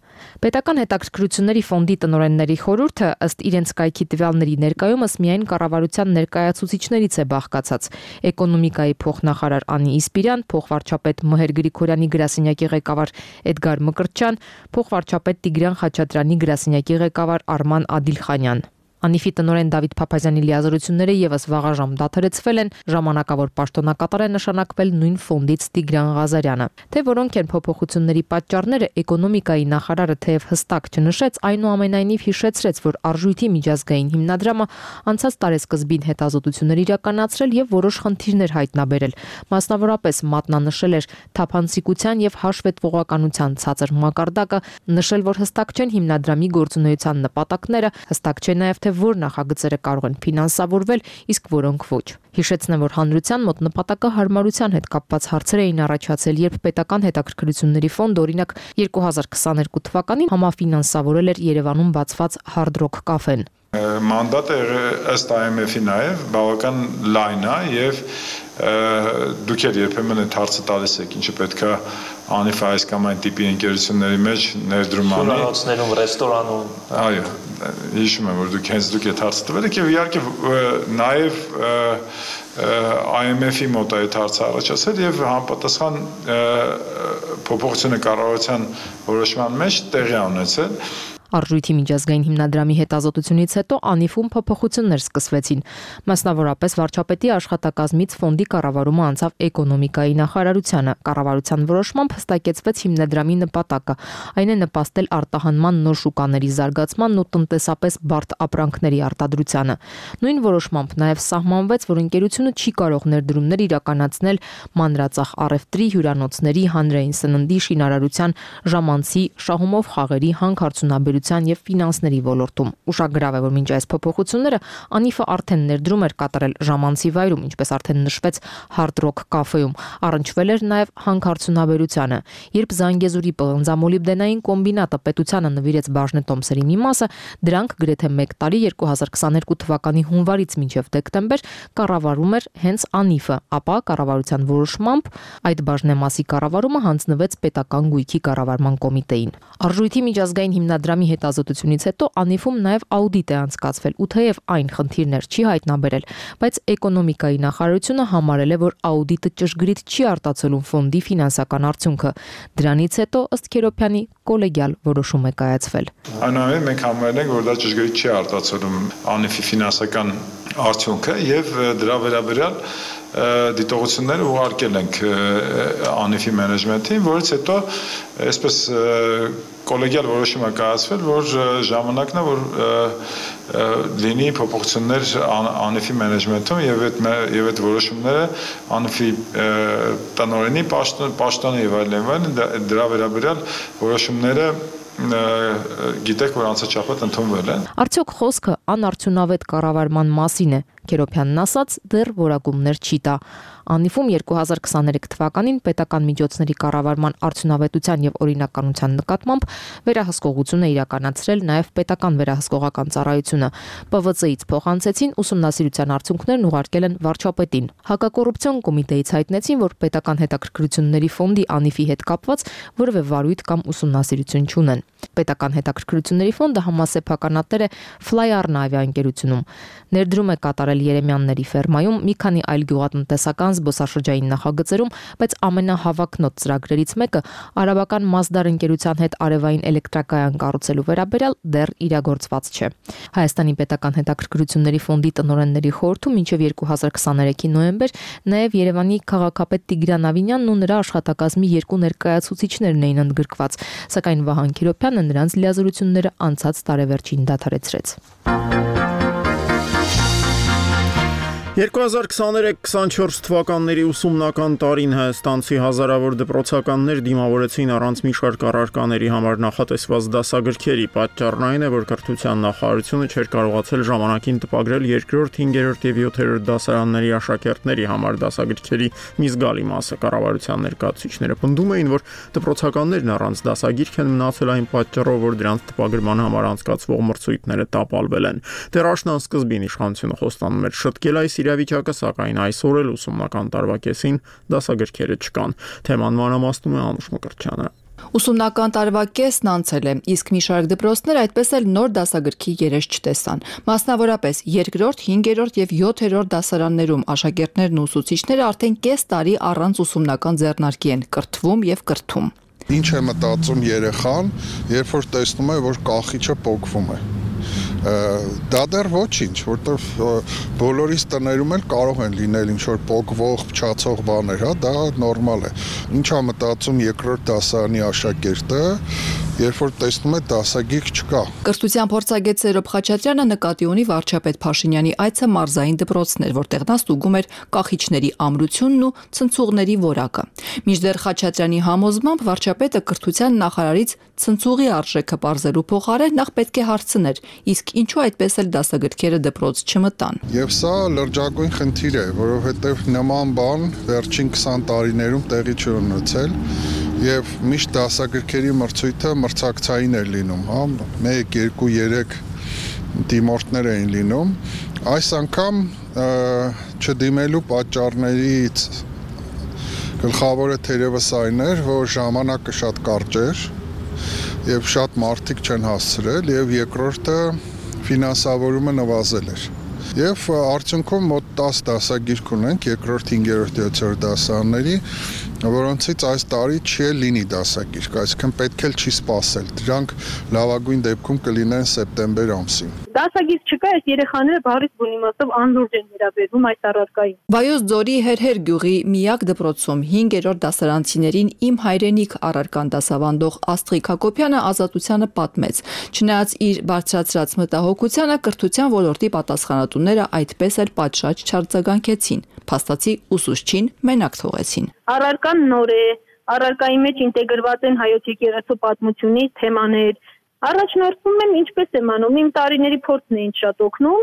Speaker 11: Պետական հետաքրքրությունների ֆոնդի տնօրենների խորհուրդը ըստ իրենց կայքի տվյալների ներկայումս միայն կառավարության ներկայացուցիչներից է բաղկացած։ Էկոնոմիկայի փոխնախարար Անի Իսպիրյան, փոխվարչապետ Մհեր Գրիգորյանի գրասենյակի ղեկավար Էդգար Մկրտչյան, փոխվարչապետ Տիգրան Խաչատրյանի գրասենյակի ղեկավար Արման Ադիլխանյան։ Անիֆի տնօրեն Դավիթ Փափազյանի լիազորությունները եւս վաղաժամ դադարեցվել են, ժամանակավոր պաշտոնակատար է նշանակվել նույն ֆոնդից Տիգրան Ղազարյանը։ Թե որոնք են փոփոխությունների պատճառները, էկոնոմիկայի նախարարը թեև հստակ չնշեց, այնուամենայնիվ հիշեցրեց, որ արժույթի միջազգային հիմնադրամը անցած տարեսկզբին հետազոտություններ իրականացրել եւ որոշ խնդիրներ հայտնաբերել։ Մասնավորապես մատնանշել էր թափանցիկության եւ հաշվետվողականության ցածր մակարդակը, նշել, որ հստակ չեն հիմնադրամի գործունեության նպատակները, հստակ չէ նաեւ թե որ նախագծերը կարող են ֆինանսավորվել, իսկ որոնք ոչ։ Հիշեցնեմ, որ հանրության մոտ նպատակը հարմարության հետ կապված հարցեր էին առաջացել, երբ պետական հետաքրքրությունների ֆոնդը օրինակ երկու հազար քսաներկու թվականին համաֆինանսավորել էր Երևանում բացված Hard Rock կաֆեն։
Speaker 10: Մանդատը ըստ I M F-ի նաև բավական լայն է եւ դուք երբեմն այդ հարցը տալիս եք, ինչը պետք է անի այս կամ այն տիպի ընկերությունների մեջ ներդրում անի։
Speaker 12: Շուրանոցներում, ռեստորանում։
Speaker 10: Այո, հիշում եմ, որ դուք հենց դուք այդ հարցը տվել եք եւ իհարկե նաև I M F-ի մոտ այդ հարցը առաջացել եւ համապատասխան փոփոխությունը կառավարության որոշման մեջ տեղի ունեցել։
Speaker 11: Արժույթի միջազգային հիմնադրամի հետազոտությունից հետո Անիֆում փոփոխություններ սկսվեցին։ Մասնավորապես վարչապետի աշխատակազմից ֆոնդի կառավարումը անցավ էկոնոմիկայի նախարարությանը։ Կառավարության որոշմամբ հստակեցվեց հիմնադրամի նպատակը, այն է նպաստել արտահանման նոր շուկաների զարգացմանն ու տնտեսապես բարդ ապրանքների արտադրությանը։ Նույն որոշմամբ նաև սահմանվեց, որ ընկերությունը չի կարող ներդրումներ իրականացնել մանրածախ առևտրի, հյուրանոցների, հանրային սննդի, շինարարության, ժամանցի, շահումով խաղերի, հանքարդյունաբերության եւ ֆինանսների ոլորտում։ Ուշագրավ է, որ մինչ այս փոփոխությունները Անիֆը արդեն ներդրում էր կատարել ժամանցի վայրում, ինչպես արդեն նշվեց Hard Rock կաֆեում, առնչվել էր նաեւ հանքարդյունաբերությանը։ Երբ Զանգեզուրի պղնձամոլիբդենային կոմբինատը պետությանը նվիրեց բաժնետոմսերի մի մասը, դրանք գրեթե մեկ տարի երկու հազար քսաներկու թվականի հունվարից մինչև դեկտեմբեր կառավարում էր հենց Անիֆը, ապա կառավարության որոշմամբ այդ բաժնեմասի կառավարումը հանձնվեց պետական գույքի կառավարման կոմիտեին։ Արժույթի միջազգային հիմնադրամի հետազոտությունից հետո Անիֆում նաև աուդիտ է անցկացվել, ու թեև այն խնդիրներ չի հայտնաբերել, բայց էկոնոմիկայի նախարարությունը համարել է, որ աուդիտը ճշգրիտ չի արտացոլում ֆոնդի ֆինանսական արդյունքը։ Դրանից հետո ըստ Քերոփյանի կոլեգիալ որոշում է կայացվել։
Speaker 10: Այնուամենայնիվ մենք համարել ենք, որ դա ճշգրիտ չի արտացոլում Անիֆի ֆինանսական արդյունքը եւ դրա վերաբերյալ դիտողություններ ուղարկել ենք Անիֆի մենեջմենթին, որից հետո այսպես կոլեգիալ որոշում է կայացվել, որ ժամանակն է, որ լինի փոփոխություններ Անիֆի մենեջմենթում եւ այդ եւ այդ որոշումները Անիֆի տնօրենի պաշտոնի եւ այլն դրա վերաբերյալ որոշումները գիտեք, որ անցաչափած ընդունվել են։
Speaker 11: Արդյոք խոսքը անարդյունավետ կառավարման մասին է։ Քերոփյանն ասաց, դեռ որակումներ չի տա։ Անիֆում երկու հազար քսաներեք թվականին պետական միջոցների կառավարման արդյունավետության եւ օրինականության նկատմամբ վերահսկողություն է իրականացրել նաեւ պետական վերահսկողական ծառայությունը։ P V C-ից փոխանցեցին, ուսումնասիրության արդյունքներն ուղարկել են վարչապետին։ Հակակոռուպցիոն կոմիտեից հայտնեցին, որ պետական հետաքրքրությունների ֆոնդի Անիֆի հետ կապված որևէ վարույթ կամ ուսումնասիրություն չունեն։ Պետական հետաքրքրությունների ֆոնդը համասեփականատեր է Fly-Arna ավիաընկերությունում։ Ներդրում է կատարել Երեմյանների ֆերմայում, մի քանի այլ գյուղատնտեսական զբոսաշրջային նախագծերում, բայց ամենահավակնոտ ծրագրերից մեկը արաբական Mazdar ընկերության հետ արևային էլեկտրակայան կառուցելու վերաբերյալ դեռ իրագործված չէ։ Հայաստանի պետական հետաքրքրությունների ֆոնդի տնօրենների խորհրդում մինչև երկու հազար քսաներեքի նոյեմբեր նաև Երևանի քաղաքապետ Տիգրան Ավինյանն ու նրա աշխատակազմի երկու ներկայացուցիչներն էին ընդգրկված, սակայն Վահան Քիրոփյանը նրանց լիազորությունները անցած տարեվերջին դադարեցրեց։
Speaker 1: երկու հազար քսաներեք քսանչորս թվականների ուսումնական տարին հայաստանցի հազարավոր դպրոցականներ դիմավորեցին առանց մի շարք առարկաների համար նախատեսված դասագրքերի։ Պատճառն այն է, որ կրթության նախարարությունը չէր կարողացել ժամանակին տպագրել երկրորդ, հինգերորդ եւ յոթերորդ դասարանների աշակերտների համար դասագրքերի մի զգալի մասը։ Կառավարության ներկայացուցիչները պնդում էին, որ դպրոցականներն առանց դասագիրք են մնացել այն պատճառով, որ դրանց տպագրման համար անցկացվող մրցույթները տապալվել են։ Դեռ աշնան իշխանությունը խոստանում էր շտկել այս իրավիճակը, սակայն այսօր էլ ուսումնական տարվա կեսին դասագրքերը չկան։ Թեման մանրամասնում է Անուշ Մկրտչյանը։
Speaker 13: Ուսումնական տարվա կեսն անցել է, իսկ մի շարք դպրոցներ այդպես էլ նոր դասագրքի երես չտեսան։ Մասնավորապես երկրորդ, հինգերորդ եւ յոթերորդ դասարաններում աշակերտներն ու ուսուցիչները արդեն կես տարի առանց ուսումնական ձեռնարկի են կրթվում եւ կրթում։
Speaker 8: Ինչ է մտածում երեխան, երբ որ տեսնում է, որ կախիչը պոկվում է։ Դա դեռ ոչինչ, որտեղ բոլորիս տներում էլ կարող են լինել ինչ-որ պոկվող, փչացող բաներ, հա, դա նորմալ է։ Ինչ է մտածում երկրորդ դասարանի աշակերտը, երբ որ տեսնում է դասագիրք չկա։
Speaker 13: Կրթության փորձագետ Սերոբ Խաչատրյանը նկատի ունի վարչապետ Փաշինյանի այցը մարզային դպրոցներ, որտեղ նա ստուգում էր կախիչների ամրությունն ու ցնցուղների որակը։ Մինչդեռ Խաչատրյանի համոզմամբ վարչապետը կրթության նախարարից ցնցուղի արժեքը բարձելու փոխարեն նախ պետք է հարցներ, իսկ ինչու այդպես էլ դասագրքերը դպրոց չմտան։
Speaker 8: Եվ սա լրջագույն խնդիր է, որովհետև նման բան վերջին քսան տարիներում տեղի չի ունեցել եւ միշտ դասագրքերի մրցույթը մրցակցային էր լինում, հա, մեկ, երկու, երեք դիմորդներ էին լինում։ Այս անգամ չդիմելու պատճառներից գլխավորը թերևս այն էր, որ ժամանակը շատ կարճ էր եւ շատ մարդիկ չեն հասցրել եւ երկրորդը ֆինանսավորումը նվազել էր։ Եվ արդյունքում մոտ տասը դասագիրք ունենք երկրորդ, հինգերորդ, յոթերորդ դասարանների, որոնցից այս տարի չի լինի դասագիրք, այսինքն պետք էլ չի սպասել։ Դրանք լավագույն դեպքում կլինեն սեպտեմբեր ամսին։
Speaker 12: Դասագիրք չկա, այս երեխաները բառից բուն իմաստով անլուրջ են վերաբերվում այս առարկային։
Speaker 13: Վայոց ձորի Հերհեր գյուղի միակ դպրոցում հինգերորդ դասարանցիներին իմ հայրենիք առարկան դասավանդող Աստղիկ Հակոբյանը Ազատությանը պատմեց։ Չնայած իր բարձրացրած մտահոգությանը, կրթության ոլորտի պատասխանատուները այդպես էլ պատշաճ չարձագանքեցին, փաստացի ուսուցչին մենակ թողեցին։
Speaker 12: Առարկան նոր է, առարկայի մեջ ինտեգրված են հայոց եկեղեցու պատմությունի թեմաներ։ Առաջնորդվում եմ ինչպես եմ անում, իմ տարիների փորձն է ինձ շատ օգնում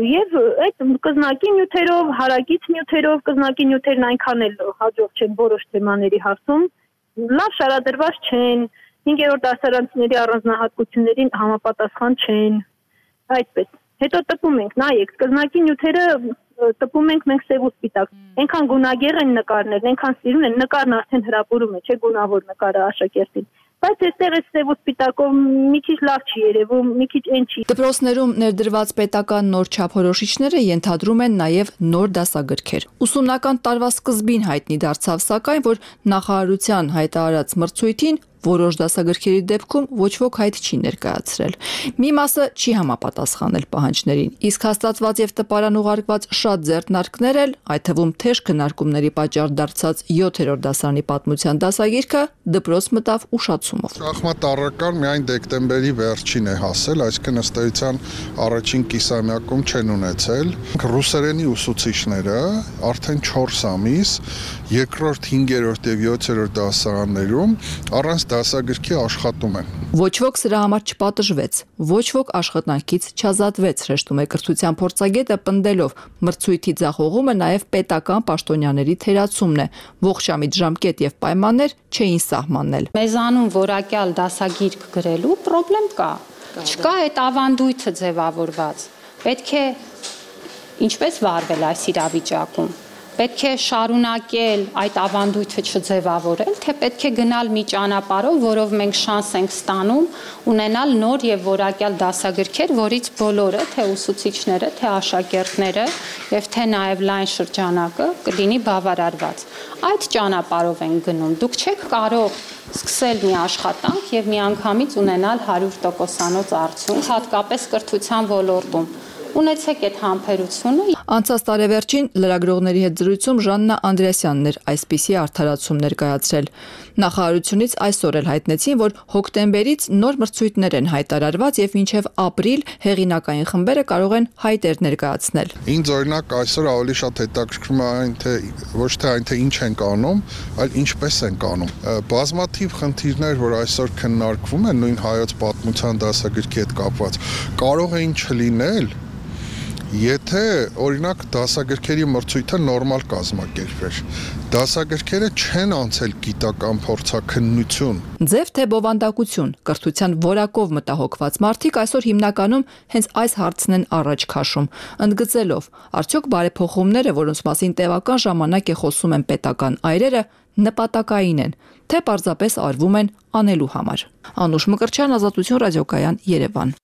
Speaker 12: եւ այդ կզնակի նյութերով, հարակից նյութերով, կզնակի նյութերն այնքան էլ հաջող չեն որոշ թեմաների հարցում, լավ շարադրված չեն, հինգերորդ դասարանցիների առանձնահատկություններին համապատասխան չեն, այդպես։ Հետո տպում ենք, նայեք, կզնակի նյութերը տպում ենք մենք սև ու սպիտակ։ Այնքան գունագեղ են նկարներն, այնքան սիրուն են, նկարն արդեն հրապուրում է, չէ՞ գունավոր նկարը աշակերտին։ Բայց այստեղ է սև ու սպիտակով մի քիչ լավ չի երևում, մի քիչ այն չի։
Speaker 13: Դպրոցներում ներդրված պետական նոր չափորոշիչները ենթադրում են նաև նոր դասագրքեր։ Ուսումնական տարվա սկզբին հայտնի դարձավ սակայն, որ նախարարության հայտարարած մրցույթին որոշ դասագրքերի դեպքում ոչ ոք հայտ չի ներկայացրել։ Մի մասը չի համապատասխանել պահանջներին, իսկ հաստատված եւ տպարան ուղարկված շատ ձեռնարկներ էլ, այդ թվում թեժ քննարկումների պատճառ դարձած յոթերորդ դասարանի պատմության դասագիրքը դպրոց մտավ ուշացումով։
Speaker 8: Շախմատ առարկան միայն դեկտեմբերի վերջին է հասել, այսինքն ըստ էության առաջին կիսամյակում չեն ունեցել։ Ռուսերենի ուսուցիչները արդեն չորս ամիս երկրորդ, հինգերորդ եւ յոթերորդ դասարաններում առանց դասագրքի աշխատում են։
Speaker 13: Ոչ ոք սրա համար չպատժվեց, ոչ ոք աշխատանքից չազատվեց, հրեշտում է կրթության փորձագետը պնդելով մրցույթի ձախողումը նաև պետական պաշտոնյաների թերացումն է, ողջամիտ ժամկետ եւ պայմաններ չէին սահմանել։
Speaker 14: Մեզանում որակյալ դասագիրք գրելու խնդրեմ կա։ Չկա այդ ավանդույթը ձևավորված։ Պետք է ինչպես վարվել այս իրավիճակում։ Պետք է շարունակել այդ ավանդույթը չձևավորել, թե պետք է գնալ մի ճանապարհով, որով մենք շանս ենք ստանում ունենալ նոր եւ որակյալ դասագրքեր, որից բոլորը, թե ուսուցիչները, թե աշակերտները եւ թե նաեւ լայն շրջանակը կլինի բավարարված։ Այդ ճանապարհով են գնում։ Դուք չեք կարող սկսել մի աշխատանք եւ միանգամից ունենալ հարյուր տոկոսանոց արդյունք, հատկապես կրթության ոլորտում։ Ունեցեք այդ համբերությունը։
Speaker 13: Անցած տարեվերջին լրագրողների հետ զրույցում Ժաննա Անդրեասյանն էր այսպիսի արդարացում ներկայացրել։ Նախարարությունից այսօր էլ հայտնեցին, որ հոկտեմբերից նոր մրցույթներ են հայտարարված եւ մինչեւ ապրիլ հեղինակային խմբերը կարող են հայտեր ներկայացնել։
Speaker 8: Ինձ օրինակ այսօր ավելի շատ հետաքրքրում է այն, թե ոչ թե այն, թե ինչ են անում, այլ ինչպես են անում։ Բազմաթիվ խնդիրներ, որ այսօր քննարկվում են նույն հայոց պատմության դասագրքի հետ կապված, կարող էին չլինել, եթե օրինակ դասագրքերի մրցույթը նորմալ կազմակերպվեր։ Դասագրքերը չեն անցել գիտական փորձաքննություն։
Speaker 13: Ձև թե բովանդակություն, կրթության որակով մտահոգված մարդիկ այսօր հիմնականում հենց այս հարցն են առաջ քաշում, ընդգծելով, արդյոք բարեփոխումները, որոնց մասին տևական ժամանակ է խոսում են պետական այրերը, նպատակային են, թե պարզապես արվում են անելու համար։ Անուշ Մկրտչյան, Ազատություն ռադիոկայան, Երևան։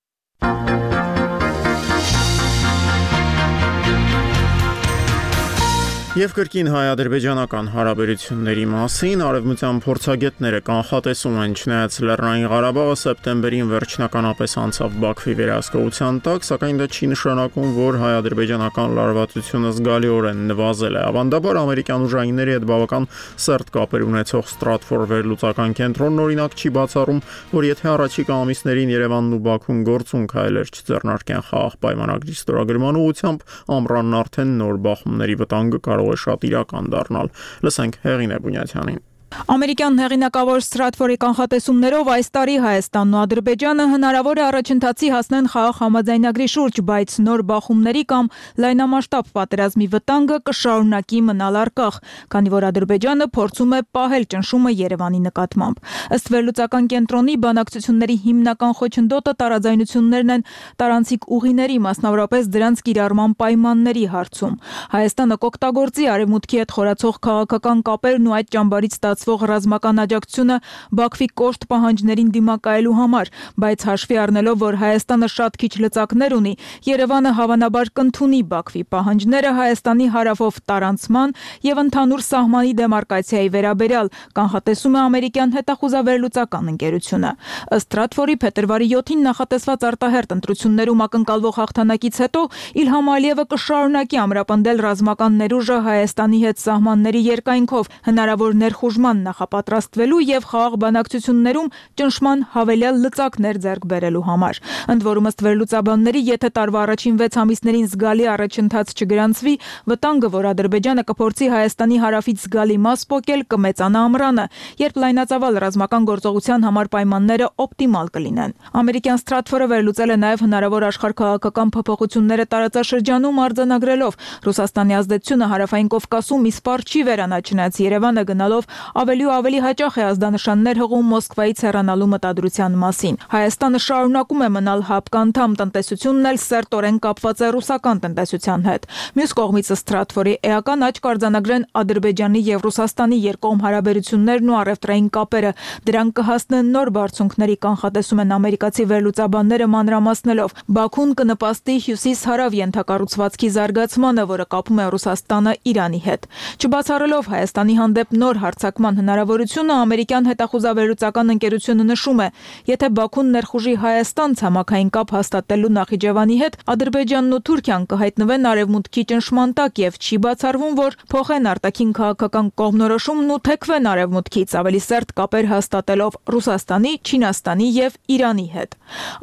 Speaker 1: Եվ կրկին հայ-ադրբեջանական հարաբերությունների մասին արևմտյան փորձագետները կանխատեսում են, չնայած Լեռնային Ղարաբաղը սեպտեմբերին վերջնականապես անցավ Բաքվի վերահսկողության տակ, սակայն դա չի նշանակում, որ հայ-ադրբեջանական լարվածությունը զգալիորեն նվազել է։ Ավանդաբար ամերիկյան ուժայինների հետ բավական սերտ կապեր ունեցող Stratfor վերլուծական կենտրոնն օրինակ չի բացառում, որ եթե առաջիկա ամիսներին Երևանն ու Բաքուն գործուն քայլեր չձեռնարկեն խաղաղ պայմանագրի ստորագրման ուղղությամբ, ամռանն արդեն նոր բախումների վտանգը կարող է շատ իրական դառնալ։ Լսենք Հեղինե Բունյաթյանին։
Speaker 15: Ամերիկյան հեղինակավոր Stratfor-ի կանխատեսումներով այս տարի Հայաստանն ու Ադրբեջանը հնարավոր է առաջընթացի հասնեն խաղաղ համաձայնագրի շուրջ, բայց նոր բախումների կամ լայնամասշտաբ պատերազմի վտանգը կշարունակի մնալ առկախ, քանի որ Ադրբեջանը փորձում է պահել ճնշումը Երևանի նկատմամբ։ Ըստ վերլուծական կենտրոնի, բանակցությունների հիմնական խոչընդոտը տարաձայնություններն են տարանցիկ ուղիների, մասնավորապես դրանց կիրառման պայմանների հարցում։ Հայաստանը կօգտագործի արևմուտքի հետ խորացող քաղաքական կապերն ու այդ ճամբարից ստացվող ռազմական աջակցությունը Բաքվի կոշտ պահանջներին դիմակայելու համար, բայց հաշվի առնելով, որ Հայաստանը շատ քիչ լծակներ ունի, Երևանը հավանաբար կընդունի Բաքվի պահանջները Հայաստանի հարավով տարանցման եւ ընդհանուր սահմանի դեմարկացիայի վերաբերյալ, կանխատեսում է ամերիկյան հետախուզավերլուծական ընկերությունը։ Ըստ Stratfor-ի փետրվարի յոթին նախատեսված արտահերթ ընտրություններում ակնկալվող հաղթանակից հետո Իլհամ Ալիևը կշարունակի ամրապնդել ռազմական ներուժը Հայաստանի հետ սահմանների երկայնքով, հնարավոր ներխուժման նախապատրաստվելու եւ խաղաղ բանակցություններում ճնշման հավելյալ լծակներ ձեռք բերելու համար։ Ընդ որում ըստ վերլուծաբանների, եթե տարվա առաջին վեց ամիսներին զգալի առաջընթաց չգրանցվի, վտանգը, որ Ադրբեջանը կփորձի Հայաստանի հարավից զգալի մաս պոկել, կմեծանա ամռանը, երբ լայնածավալ ռազմական գործողության համար պայմանները օպտիմալ կլինեն։ Ամերիկյան Stratfor-ը վերլուծել է նաեւ հնարավոր աշխարհքաղաքական փոփոխությունները տարածաշրջանում, արձանագրելով Ռուսաստանի ազդեցությունը հարավային Կովկասում իսպառ չի վերանա, չնայած Երևանը գնալով ավելի ու ավելի հաճախ է ազդանշաններ հղում Մոսկվայից հեռանալու մտադրության մասին։ Հայաստանը շարունակում է մնալ ՀԱՊԿ անդամ, տնտեսությունն էլ սերտորեն կապված է ռուսական տնտեսության հետ։ Մյուս կողմից Stratfor-ի էական աճ կարձանագրեն Ադրբեջանի եւ Ռուսաստանի երկկողմ հարաբերություններն ու առևտրային կապերը։ Դրանք կհասնեն նոր բարձունքների, կանխատեսում են ամերիկացի վերլուծաբանները մանրամասնելով։ Բաքուն կնպաստի հյուսիս-հարավ ենթակառուցվածքի զարգացմանը, որը կապում է Ռուսաստանը Իրանի հետ։ Չբացառելով Հայաստանի հանդեպ նոր հարձակման հնարավորությունը, ամերիկյան հետախուզավերլուծական ընկերությունը նշում է, եթե Բաքուն ներխուժի Հայաստան ցամաքային կապ հաստատելու Նախիջևանի հետ, Ադրբեջանն ու Թուրքիան կհայտնվեն արևմուտքի ճնշման տակ եւ չի բացառվում, որ փոխեն արտաքին քաղաքական կողմնորոշումն ու թեքվեն արևմուտքից, ավելի սերտ կապեր հաստատելով Ռուսաստանի, Չինաստանի եւ Իրանի հետ։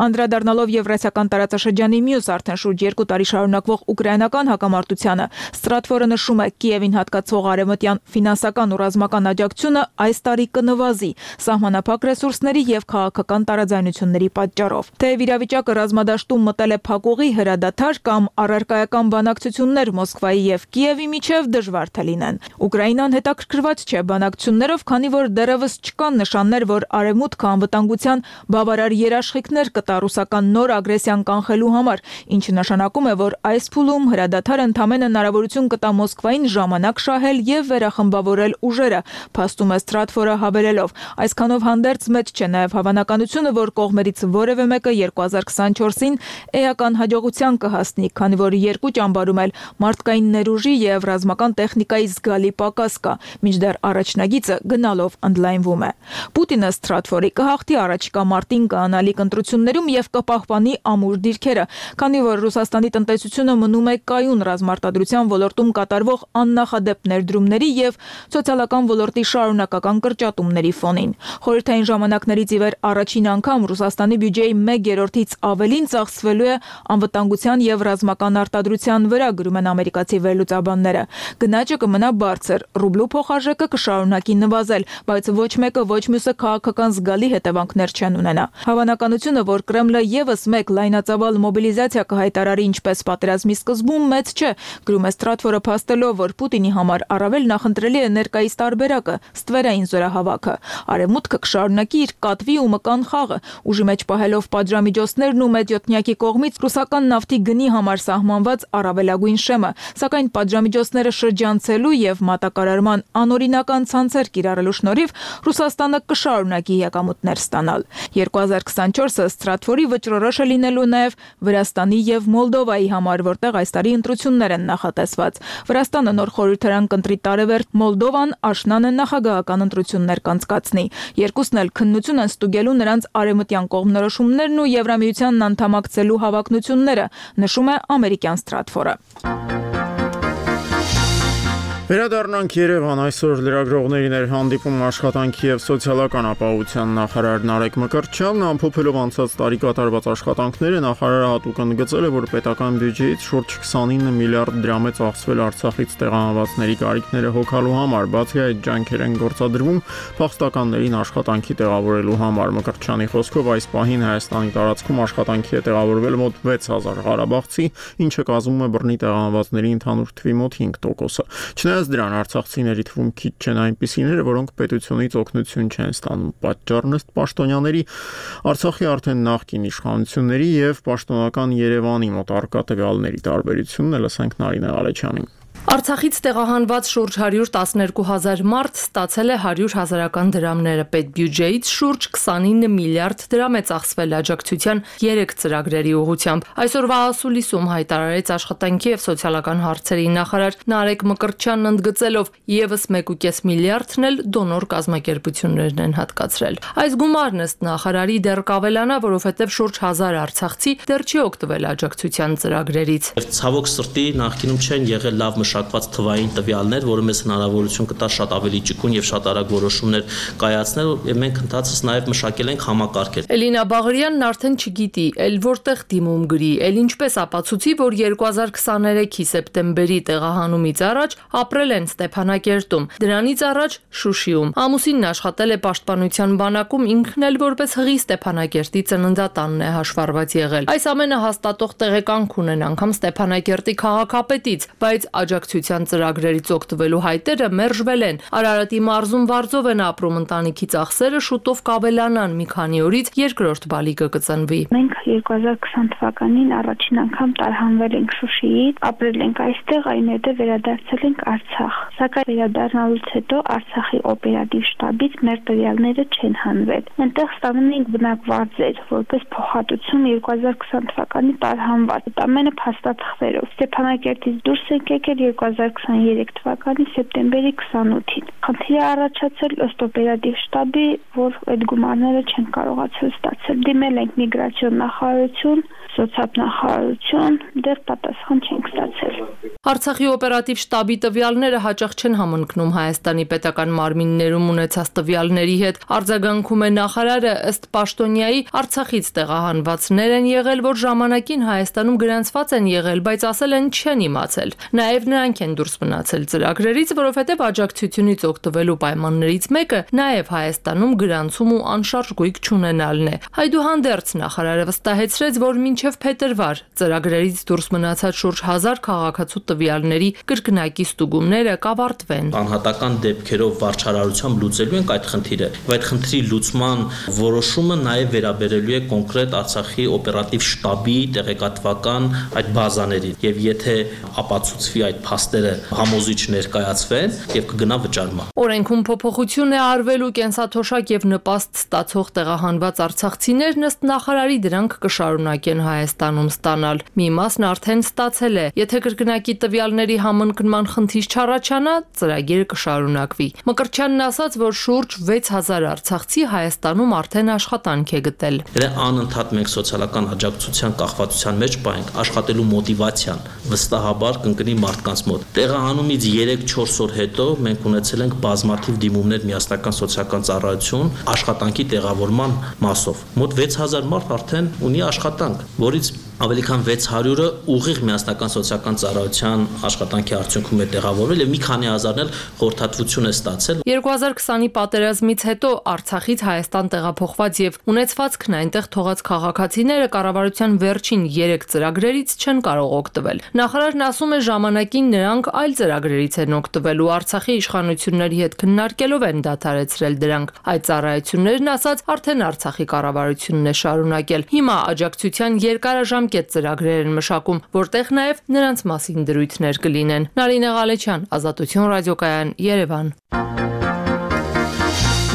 Speaker 15: Անդրադառնալով Եվրասիական տարածաշրջանի մյուս արդեն շուրջ երկու տարի շարունակվող ուկրաինական հակամարտությանը, Stratfor-ը նշում է, Կիևին հատկացող արևմտյան ֆինանսական ու ռազմական աջակցությունը այս տարի կնվազի սահմանափակ ռեսուրսների եւ քաղաքական տարաձայնությունների պատճառով։ Թեև իրավիճակը ռազմադաշտում մտել է փակուղի, հրադադար կամ առարկայական բանակցություններ Մոսկվայի եւ Կիևի միջև դժվար թե լինեն։ Ուկրաինան հետաքրքրված չէ բանակցություններով, քանի որ դեռևս չկան նշաններ, որ արևմուտքը անվտանգության բավարար երաշխիքներ կտա ռուսական նոր ագրեսիան կանխելու համար, ինչը նշանակում է, որ այս փուլում հրադադարը ընդամենը հնարավորություն կտա Մոսկվային ժամանակ շահել եւ վերախմբավորել ուժերը, փաստում է Stratfor-ը հավելելով։ Այսքանով հանդերձ մեծ չէ նաև հավանականությունը, որ կողմերից որևէ մեկը երկու հազար քսանչորսին էական հաջողության կհասնի, քանի որ երկու ճամբարում էլ մարդկային ներուժի եւ ռազմական տեխնիկայի զգալի պակաս կա, մինչդեռ առաջնագիծը գնալով ընդլայնվում է։ Պուտինը Stratfor-ի կհաղթի առաջիկա մարտին կանալիք ընտրություններում եւ կպահպանի ամուր դիրքերը, քանի որ Ռուսաստանի տնտեսությունը մնում է կայուն ռազմարտադրության ոլորտում կատարվող աննախադեպ ներդրումների եւ սոցիալական ոլորտի շարունակական կրճատումների ֆոնին։ Խորհրդային ժամանակներից ի վեր առաջին անգամ Ռուսաստանի բյուջեի մեկ երրորդից ավելին ծախսվելու է անվտանգության եւ ռազմական արտադրության վրա, գրում են ամերիկացի վերլուծաբանները։ Գնաճը կմնա բարձր, ռուբլու փոխարժեքը կշարունակի նվազել, բայց ոչ մեկը ոչ մյուսը քաղաքական զգալի հետևանքներ չեն ունենա։ Հավանականությունը, որ Կրեմլը եւս մեկ լայնածավալ մոբիլիզացիա կհայտարարի ինչպես պատերազմի սկզբում, մեծ չէ, գրում է Stratfor-ը փաստելով, որ Պուտինի համար առավել նախընտրելի է ներկայիս տարբերակը, ստվերային զորահավաքը։ Արևմուտքը կշարունակի իր կատվի ու մկան խաղը, ուժի մեջ պահելով պատժամիջոցներն ու մեծյոթնյակի կողմից ռուսական նավթի գնի համար սահմանված առավելագույն շեմը, սակայն պատժամիջոցները շրջանցելու եւ մատակարարման անօրինական ցանցեր կիրառելու շնորհիվ Ռուսաստանը կշարունակի եկամուտներ ստանալ։ երկու հազար քսանչորսը ստրատվորի վճռորոշ է լինելու նաեւ Վրաստանի եւ Մոլդովայի համար, որտեղ այս տարի ընտրություններ են նախատեսված։ Վրաստանը նոր խորհրդարան կընտրի տարեվերջ, Մոլդովան աշնանը նախագահական ընտրություններ կանցկացնի։ Երկուսն էլ քննություն են ստուգելու նրանց արևմտյան կողմնորոշումներն ու Եվրամիությանն անդամակցելու հավակնությունները, նշում է ամերիկյան Stratfor-ը։
Speaker 1: Վերադառնանք Երևան, այսօր լրագրողներին էր հանդիպում աշխատանքի եւ սոցիալական ապահովության նախարար Նարեկ Մկրտչյանն, ամփոփելով անցած տարի կատարված աշխատանքները, նախարարը հատուկ ընդգծել է, որ պետական բյուջեից շուրջ քսանինը միլիարդ դրամ է ծախսվել Արցախից տեղահանվածների կարիքները հոգալու համար, բացի այդ ջանքեր են գործադրվում փախստականներին աշխատանքի տեղավորելու համար։ Մկրտչյանի խոսքով այս պահին Հայաստանի տարածքում աշխատանքի է տեղավորվել մոտ վեց հազար ղարաբաղցի, ինչը կազմում է բռնի տեղահանվածների ընդհանուր թվի մոտ հինգ տոկոսը։ Չնայած դրան արցախցիների թվում քիչ չեն այնպիսիները, որոնք պետությունից օգնություն չեն ստանում։ Պատճառն ըստ պաշտոնյաների Արցախի արդեն նախկին իշխանությունների եւ պաշտոնական Երևանի մոտ առկա տվյալների տարբերությունն է, լսենք Նարինե Ղալեչյանին։
Speaker 16: Արցախից տեղահանված շուրջ հարյուր տասներկու հազար մարդ ստացել է հարյուր հազարական դրամները, պետբյուջեից շուրջ քսանինը միլիարդ դրամ է ծախսվել աջակցության երեք ծրագրերի ուղղությամբ։ Այսօրվա ասուլիսում հայտարարեց աշխատանքի եւ սոցիալական հարցերի նախարար Նարեկ Մկրտչյանն ընդգծելով, եւս մեկ ու կես միլիարդն էլ դոնոր կազմակերպություններն են հատկացրել։ Այս գումարն ըստ նախարարի դեռ կավելանա, որովհետեւ շուրջ հազար արցախցի դեռ չի օգտվել աջակցության ծրագրերից։
Speaker 17: Ցավոք սրտի նախկինում չեն եղել լավ մշակված թվային տվյալներ, որը մեզ հնարավորություն կտա շատ ավելի ճկուն եւ շատ արագ որոշումներ կայացնել, եւ մենք ընդհանրապես նաեւ մշակել ենք համակարգեր։
Speaker 16: Էլինա Բաղարյանն արդեն չգիտի, ել որտեղ դիմում գրի, ել ինչպես ապացուցի, որ երկու հազար քսաներեքի սեպտեմբերի տեղահանումից առաջ ապրել են Ստեփանակերտում, դրանից առաջ Շուշիում։ Ամուսինն աշխատել է պաշտպանության բանակում, ինքն էլ որպես հղի Ստեփանակերտի ծննդատանն է հաշվառված եղել։ Այս ամենը հաստատող տեղեկանք ունեն անգամ Ստեփանակերտի քաղաքապետից, բայց աջակցության ծրագրերից օգտվելու հայտերը մերժվել են։ Արարատի մարզում վարձով են ապրում, ընտանիքի ծախսերը շուտով կավելանան, մի քանի օրից երկրորդ բալիկը կծնվի։
Speaker 18: Մենք երկու հազար քսան թվականին առաջին անգամ տարհանվել ենք Շուշիից, ապրել ենք այստեղ, այնուհետև վերադարձել ենք Արցախ։ Սակայն վերադառնալուց հետո Արցախի օպերատիվ շտաբից մեր տվյալները չեն հանվել։ Այնտեղ ստանում ենք բնակվարձեր, որպես փոխհատուցում երկու հազար քսան թվականի տարհանված։ Ամենը փաստաթղթերով։ Ստեփանակերտից դուրս ենք եկել երկու հազար քսաներեք թվականի սեպտեմբերի քսանութին։ Խնդիրը առաջացել ըստ օպերատիվ շտաբի, որ այդ գումարները չեն կարողացել ստացել։ Դիմել ենք միգրացիոն նախարարություն, սոցիալնախարարություն, դեռ պատասխան չենք ստացել։
Speaker 16: Արցախի օպերատիվ շտաբի տվյալները հաճախ չեն համընկնում Հայաստանի պետական մարմիններում ունեցած տվյալների հետ։ Արձագանքում է նախարարը, ըստ պաշտոնյայի Արցախից տեղահանվածներ են եղել, որ ժամանակին Հայաստանում գրանցված են եղել, բայց ասել են չեն իմացել։ Նաև նրանք են դուրս մնացել ծրագրերից, որովհետև աջակցությունից օգտվելու պայմաններից մեկը նաև Հայաստանում գրանցում ու անշարժ գույք չունենալն է։ Այդուհանդերձ նախարարը վստահեցրեց, որ մինչև փետրվար ծրագրերից դուրս մնացած շուրջ հազար քաղաքացու տվյալների կրկնակի ստուգումները կավարտվեն։
Speaker 17: Անհատական դեպքերով վարչարարությամբ լուծելու ենք այդ խնդիրը։ Եվ այդ խնդրի լուծման որոշումը նաև վերաբերելու է կոնկրետ Արցախի օպերատիվ շտաբի տեղեկատվական այդ բազաներին։ Եվ եթե ապացուցվի այդ փաստերը համոզիչ ներկայացվեն եւ կգնա վճարման։
Speaker 16: Օրենքում փոփոխություն է արվելու կենսաթոշակ եւ նպաստ ստացող տեղահանված արցախցիներն ըստ նախարարի դրանք կշարունակեն Հայաստանում ստանալ։ Մի մասն արդեն ստացել է։ Եթե կրկնակի տվյալների համընկնման խնդիր չառաջանա, ծրագիրը կշարունակվի։ Մկրտչյանն ասաց, որ շուրջ վեց հազար արցախցի Հայաստանում արդեն աշխատանք է գտել։
Speaker 17: Դե անընդհատ մենք սոցիալական աջակցության կախվածության մեջ պահենք աշխատելու մոտիվացիան վստահաբար կընկնի մարդկանց մոտ։ Տեղահանումից երեք-չորս օր հետո մենք ունեցել ենք բազմաթիվ դիմումներ միասնական սոցիալական ծառայություն աշխատանքի տեղավորման մասով։ Մոտ վեց հազար մարդ արդեն ունի աշխատանք, որից ավելի քան վեց հարյուրը ուղիղ միասնական սոցիալական ծառայության աշխատանքի արդյունքում է տեղավորվել եւ մի քանի հազարն էլ խորհրդատվություն է ստացել։
Speaker 16: երկու հազար քսանի պատերազմից հետո Արցախից Հայաստան տեղափոխված եւ ունեցվածքն այնտեղ թողած քաղաքացիները կառավարության վերջին երեք ծրագրերից չեն կարող օգտվել։ Նախարարն ասում է ժամանակին նրանք այլ ծրագրերից են օգտվել ու Արցախի իշխանությունների հետ քննարկելով են դադարեցրել դրանք։ Այդ ծառայություններն ասած արդեն Արցախի կառավարությունն է շարունակել։ Հիմա աջակցության երկարաժամկետ ծրագրեր են մշակում, որտեղ նաև նրանց մասին դրույթներ կլինեն։ Նարինե Ղալեչյան, Ազատություն ռադիոկայան, Երևան։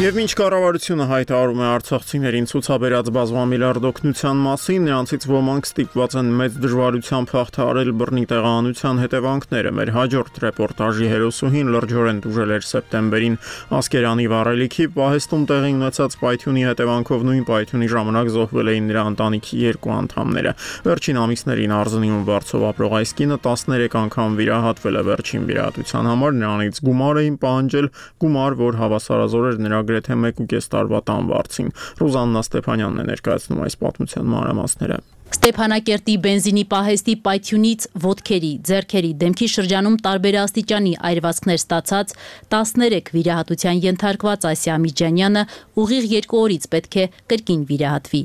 Speaker 1: Եվ ինչ կառավարությունը հայտարարում է արցախցիներին ցուցաբերած բազմամիլիարդ օգնության մասին, նրանցից ոմանք ստիպված են մեծ դժվարությամբ հաղթահարել բռնի տեղահանության հետևանքները։ Մեր հաջորդ ռեպորտաժի հերոսուհին լրջորեն տուժել էր սեպտեմբերին Ասկերանի վառելիքի պահեստում տեղի ունեցած պայթյունի հետևանքով նույն պայթյունի ժամանակ զոհվել էին նրա ընտանիքի երկու անդամները։ Վերջին ամիսներին Արզնիում վարձով ապրող այս կինը տասներեք անգամ վիրահատվել է վերջին վիրահատության համար, նրանից գումար էին պահանջել, գումար, որ հավասարազոր էր նրա գրեթե մեկ ու կես տարվա տանվարձին։ Ռուզաննա Ստեփանյանն է ներկայացնում այս պատմության մանրամասները։
Speaker 19: Ստեփանակերտի բենզինի պահեստի պայթյունից ոտքերի, ձեռքերի, դեմքի շրջանում տարբեր աստիճանի այրվածքներ ստացած տասներեք վիրահատության ենթարկված Ասիա Միջանյանը ուղիղ երկու օրից պետք է կրկին վիրահատվի։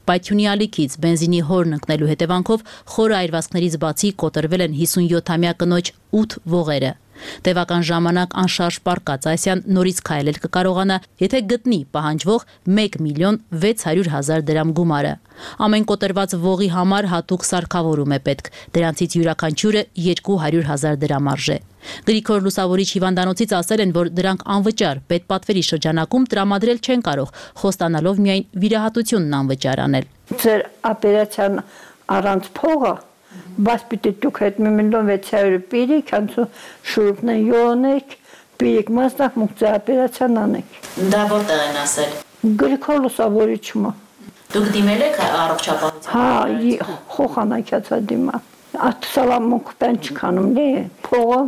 Speaker 19: Պայթյունի ալիքից բենզինի հորն ընկնելու հետևանքով խորը այրվածքներից բացի կոտրվել են հիսունյոթամյա կնոջ ութ ողերը։ Տևական ժամանակ անշարժ պառկած Ասիան նորից քայլել կկարողանա, եթե գտնի պահանջվող մեկ միլիոն վեց հարյուր հազար դրամ գումարը։ Ամեն կոտրված ողի համար հատուկ սարքավորում է պետք, դրանցից յուրաքանչյուրը երկու հարյուր հազար դրամ արժե։ Գրիգոր Լուսավորիչ հիվանդանոցից ասել են, որ դրանք անվճար պետպատվերի շրջանակում տրամադրել չեն կարող, խոստանալով միայն վիրահատությունն անվճար անել։
Speaker 20: Ձեր օպերացիան առանց փողը Բայց պիտի դուք հետ մի միլիոն վեց հարյուր պիրիք, անցու շուրուպն են յոնեք, պիրիք մասնակ մուկցե օպերացիան անեք։
Speaker 19: Դա որտեղ են ասել։
Speaker 20: Գրիգոր Լուսավորիչը։
Speaker 19: Դուք դիմել եք առողջապահության։
Speaker 20: Հա, խոխանակյացա դիմա։ Ատսալամուկ պեն չքանում լի, փողը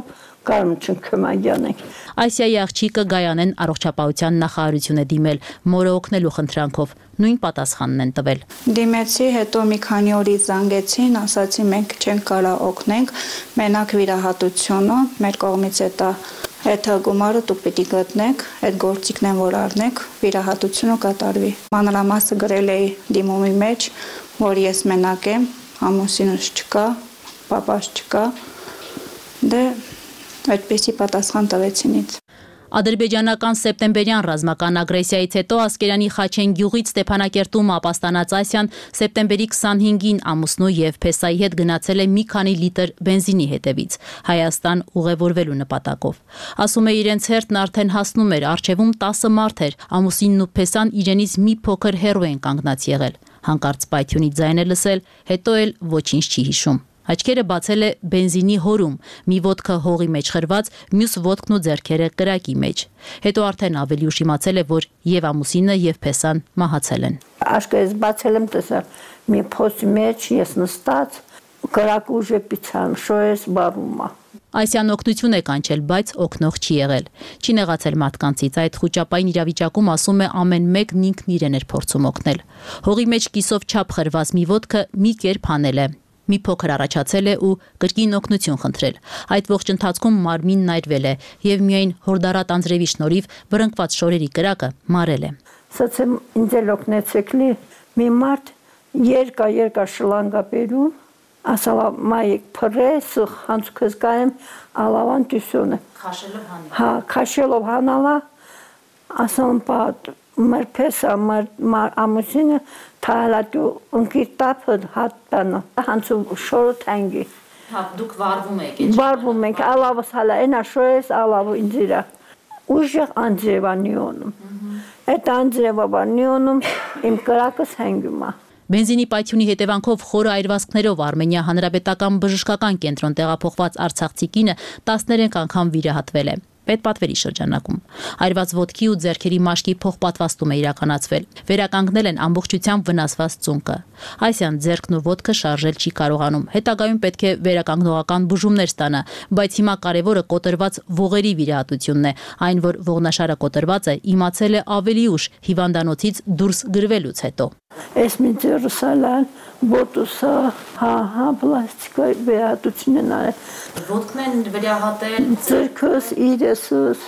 Speaker 20: կարում չնքմագյանեք։
Speaker 19: Ասիայի աղջիկը Գայանեն առողջապահության նախարարություն է դիմել, մորը օգնելու խնդրանքով, նույն պատասխանն են տվել։
Speaker 18: Դիմեցի, հետո մի քանի օրից զանգեցին, ասացի մենք չենք կարող օգնենք, մենակ վիրահատությունը, մեր կողմից է դա Այդ գումարը դուք պիտի գտնեք, այդ գործիքն են որ առնեք, վիրահատությունը կատարվի։ Մանրամասը գրել էի դիմումի մեջ, որ ես մենակ եմ, ամուսինս չկա, պապաս չկա, դե այդպեսի պատասխան տվեցին ինձ։
Speaker 19: Ադրբեջանական սեպտեմբերյան ռազմական ագրեսիայից հետո Ասկերանի Խաչեն գյուղից Ստեփանակերտում ապաստանած Ասիան սեպտեմբերի քսանհինգին ամուսնու եւ Փեսայի հետ գնացել է մի քանի լիտր բենզինի հետևից Հայաստան ուղևորվելու նպատակով։ Ասում է իրենց հերթն արդեն հասնում էր, առջևում տասը մարդ էր, ամուսինն ու Փեսան իրենից մի փոքր հեռու են կանգնած եղել։ Հանկարծ պայթյունի ձայն է լսել, հետո էլ ոչինչ չի հիշում։ Աչքերը բացել է բենզինի հորում, մի ոտքը հողի մեջ խրված, մյուս ոտքն ու ձեռքերը կրակի մեջ։ Հետո արդեն ավելի ուշ իմացել է, որ եւ ամուսինը եւ Փեսան մահացել են։
Speaker 20: Աշկերս բացել եմ տեսա, մի փոսի մեջ ես նստած, կրակը ուժը պիցան, շոյես բարումա։
Speaker 19: Ասիան օգնություն է կանչել, բայց օգնող չի եղել։ Չի նեղացել մարդկանցից, այդ խոճապային իրավիճակում ասում է ամեն մեկն ինքն իրեն էր փորձում օգնել։ Հողի մեջ կիսով չափ խրված մի ոտքը մի կերպ հանել է։ Մի փոքր առաջացել է ու կրկին օգնություն խնդրել։ Այդ ողջ ընթացքում մարմինն այրվել է եւ միայն հորդարատ անձրևի շնորհիվ վրընկված շորերի կրակը մարել է։
Speaker 20: Սացեմ ինձ էլ օգնեցեք լի, մի մարդ երկա երկա շլանգա բերում, ասալա մայեք փրես, հանցուքս կայեմ, ալավան տյուսյոնը։
Speaker 19: Քաշելով հանել։
Speaker 20: Հա, քաշելով հանալա, ասալım pat մեր փեսա մեր ամուսինը թալատու ընկիտապը հատտանա հանցու շորը թանգի։
Speaker 19: Հա դուք վարվում եք։
Speaker 20: Վարվում ենք, ալավս հալա այնա շոյես ալավը ինձիրա։ Ուժեղ անձրևանիոնում։ Այդ անձրևաբանիոնում իմ կրակս հանգում է։
Speaker 19: Բենզինի պայթյունի հետևանքով խորը այրվածքներով Արմենիա հանրապետական բժշկական կենտրոն տեղափոխված արցախցի կինը տասներեք անգամ վիրահատվել է պետպատվերի շրջանակում։ Այրված ոտքի ու ձեռքերի մաշկի փոխպատվաստում է իրականացվել։ Վերականգնել են ամբողջությամբ վնասված ծունկը։ Այսյան ձեռքն ու ոտքը շարժել չի կարողանում։ Հետագայում պետք է վերականգնողական բուժումներ ստանա, բայց հիմա կարևորը կոտրված ողերի վիրահատությունն է։ Այն, որ ողնաշարը կոտրված է, իմացել է ավելի ուշ հիվանդանոցից դուրս գրվելուց հետո։
Speaker 20: Էս մի ձերուսալան, բոտուսա, հա, հա, պլաստիկայի վերահատություն են արել։
Speaker 19: Ոտքն են վերահատել։
Speaker 20: Ձերքս, իրեսս,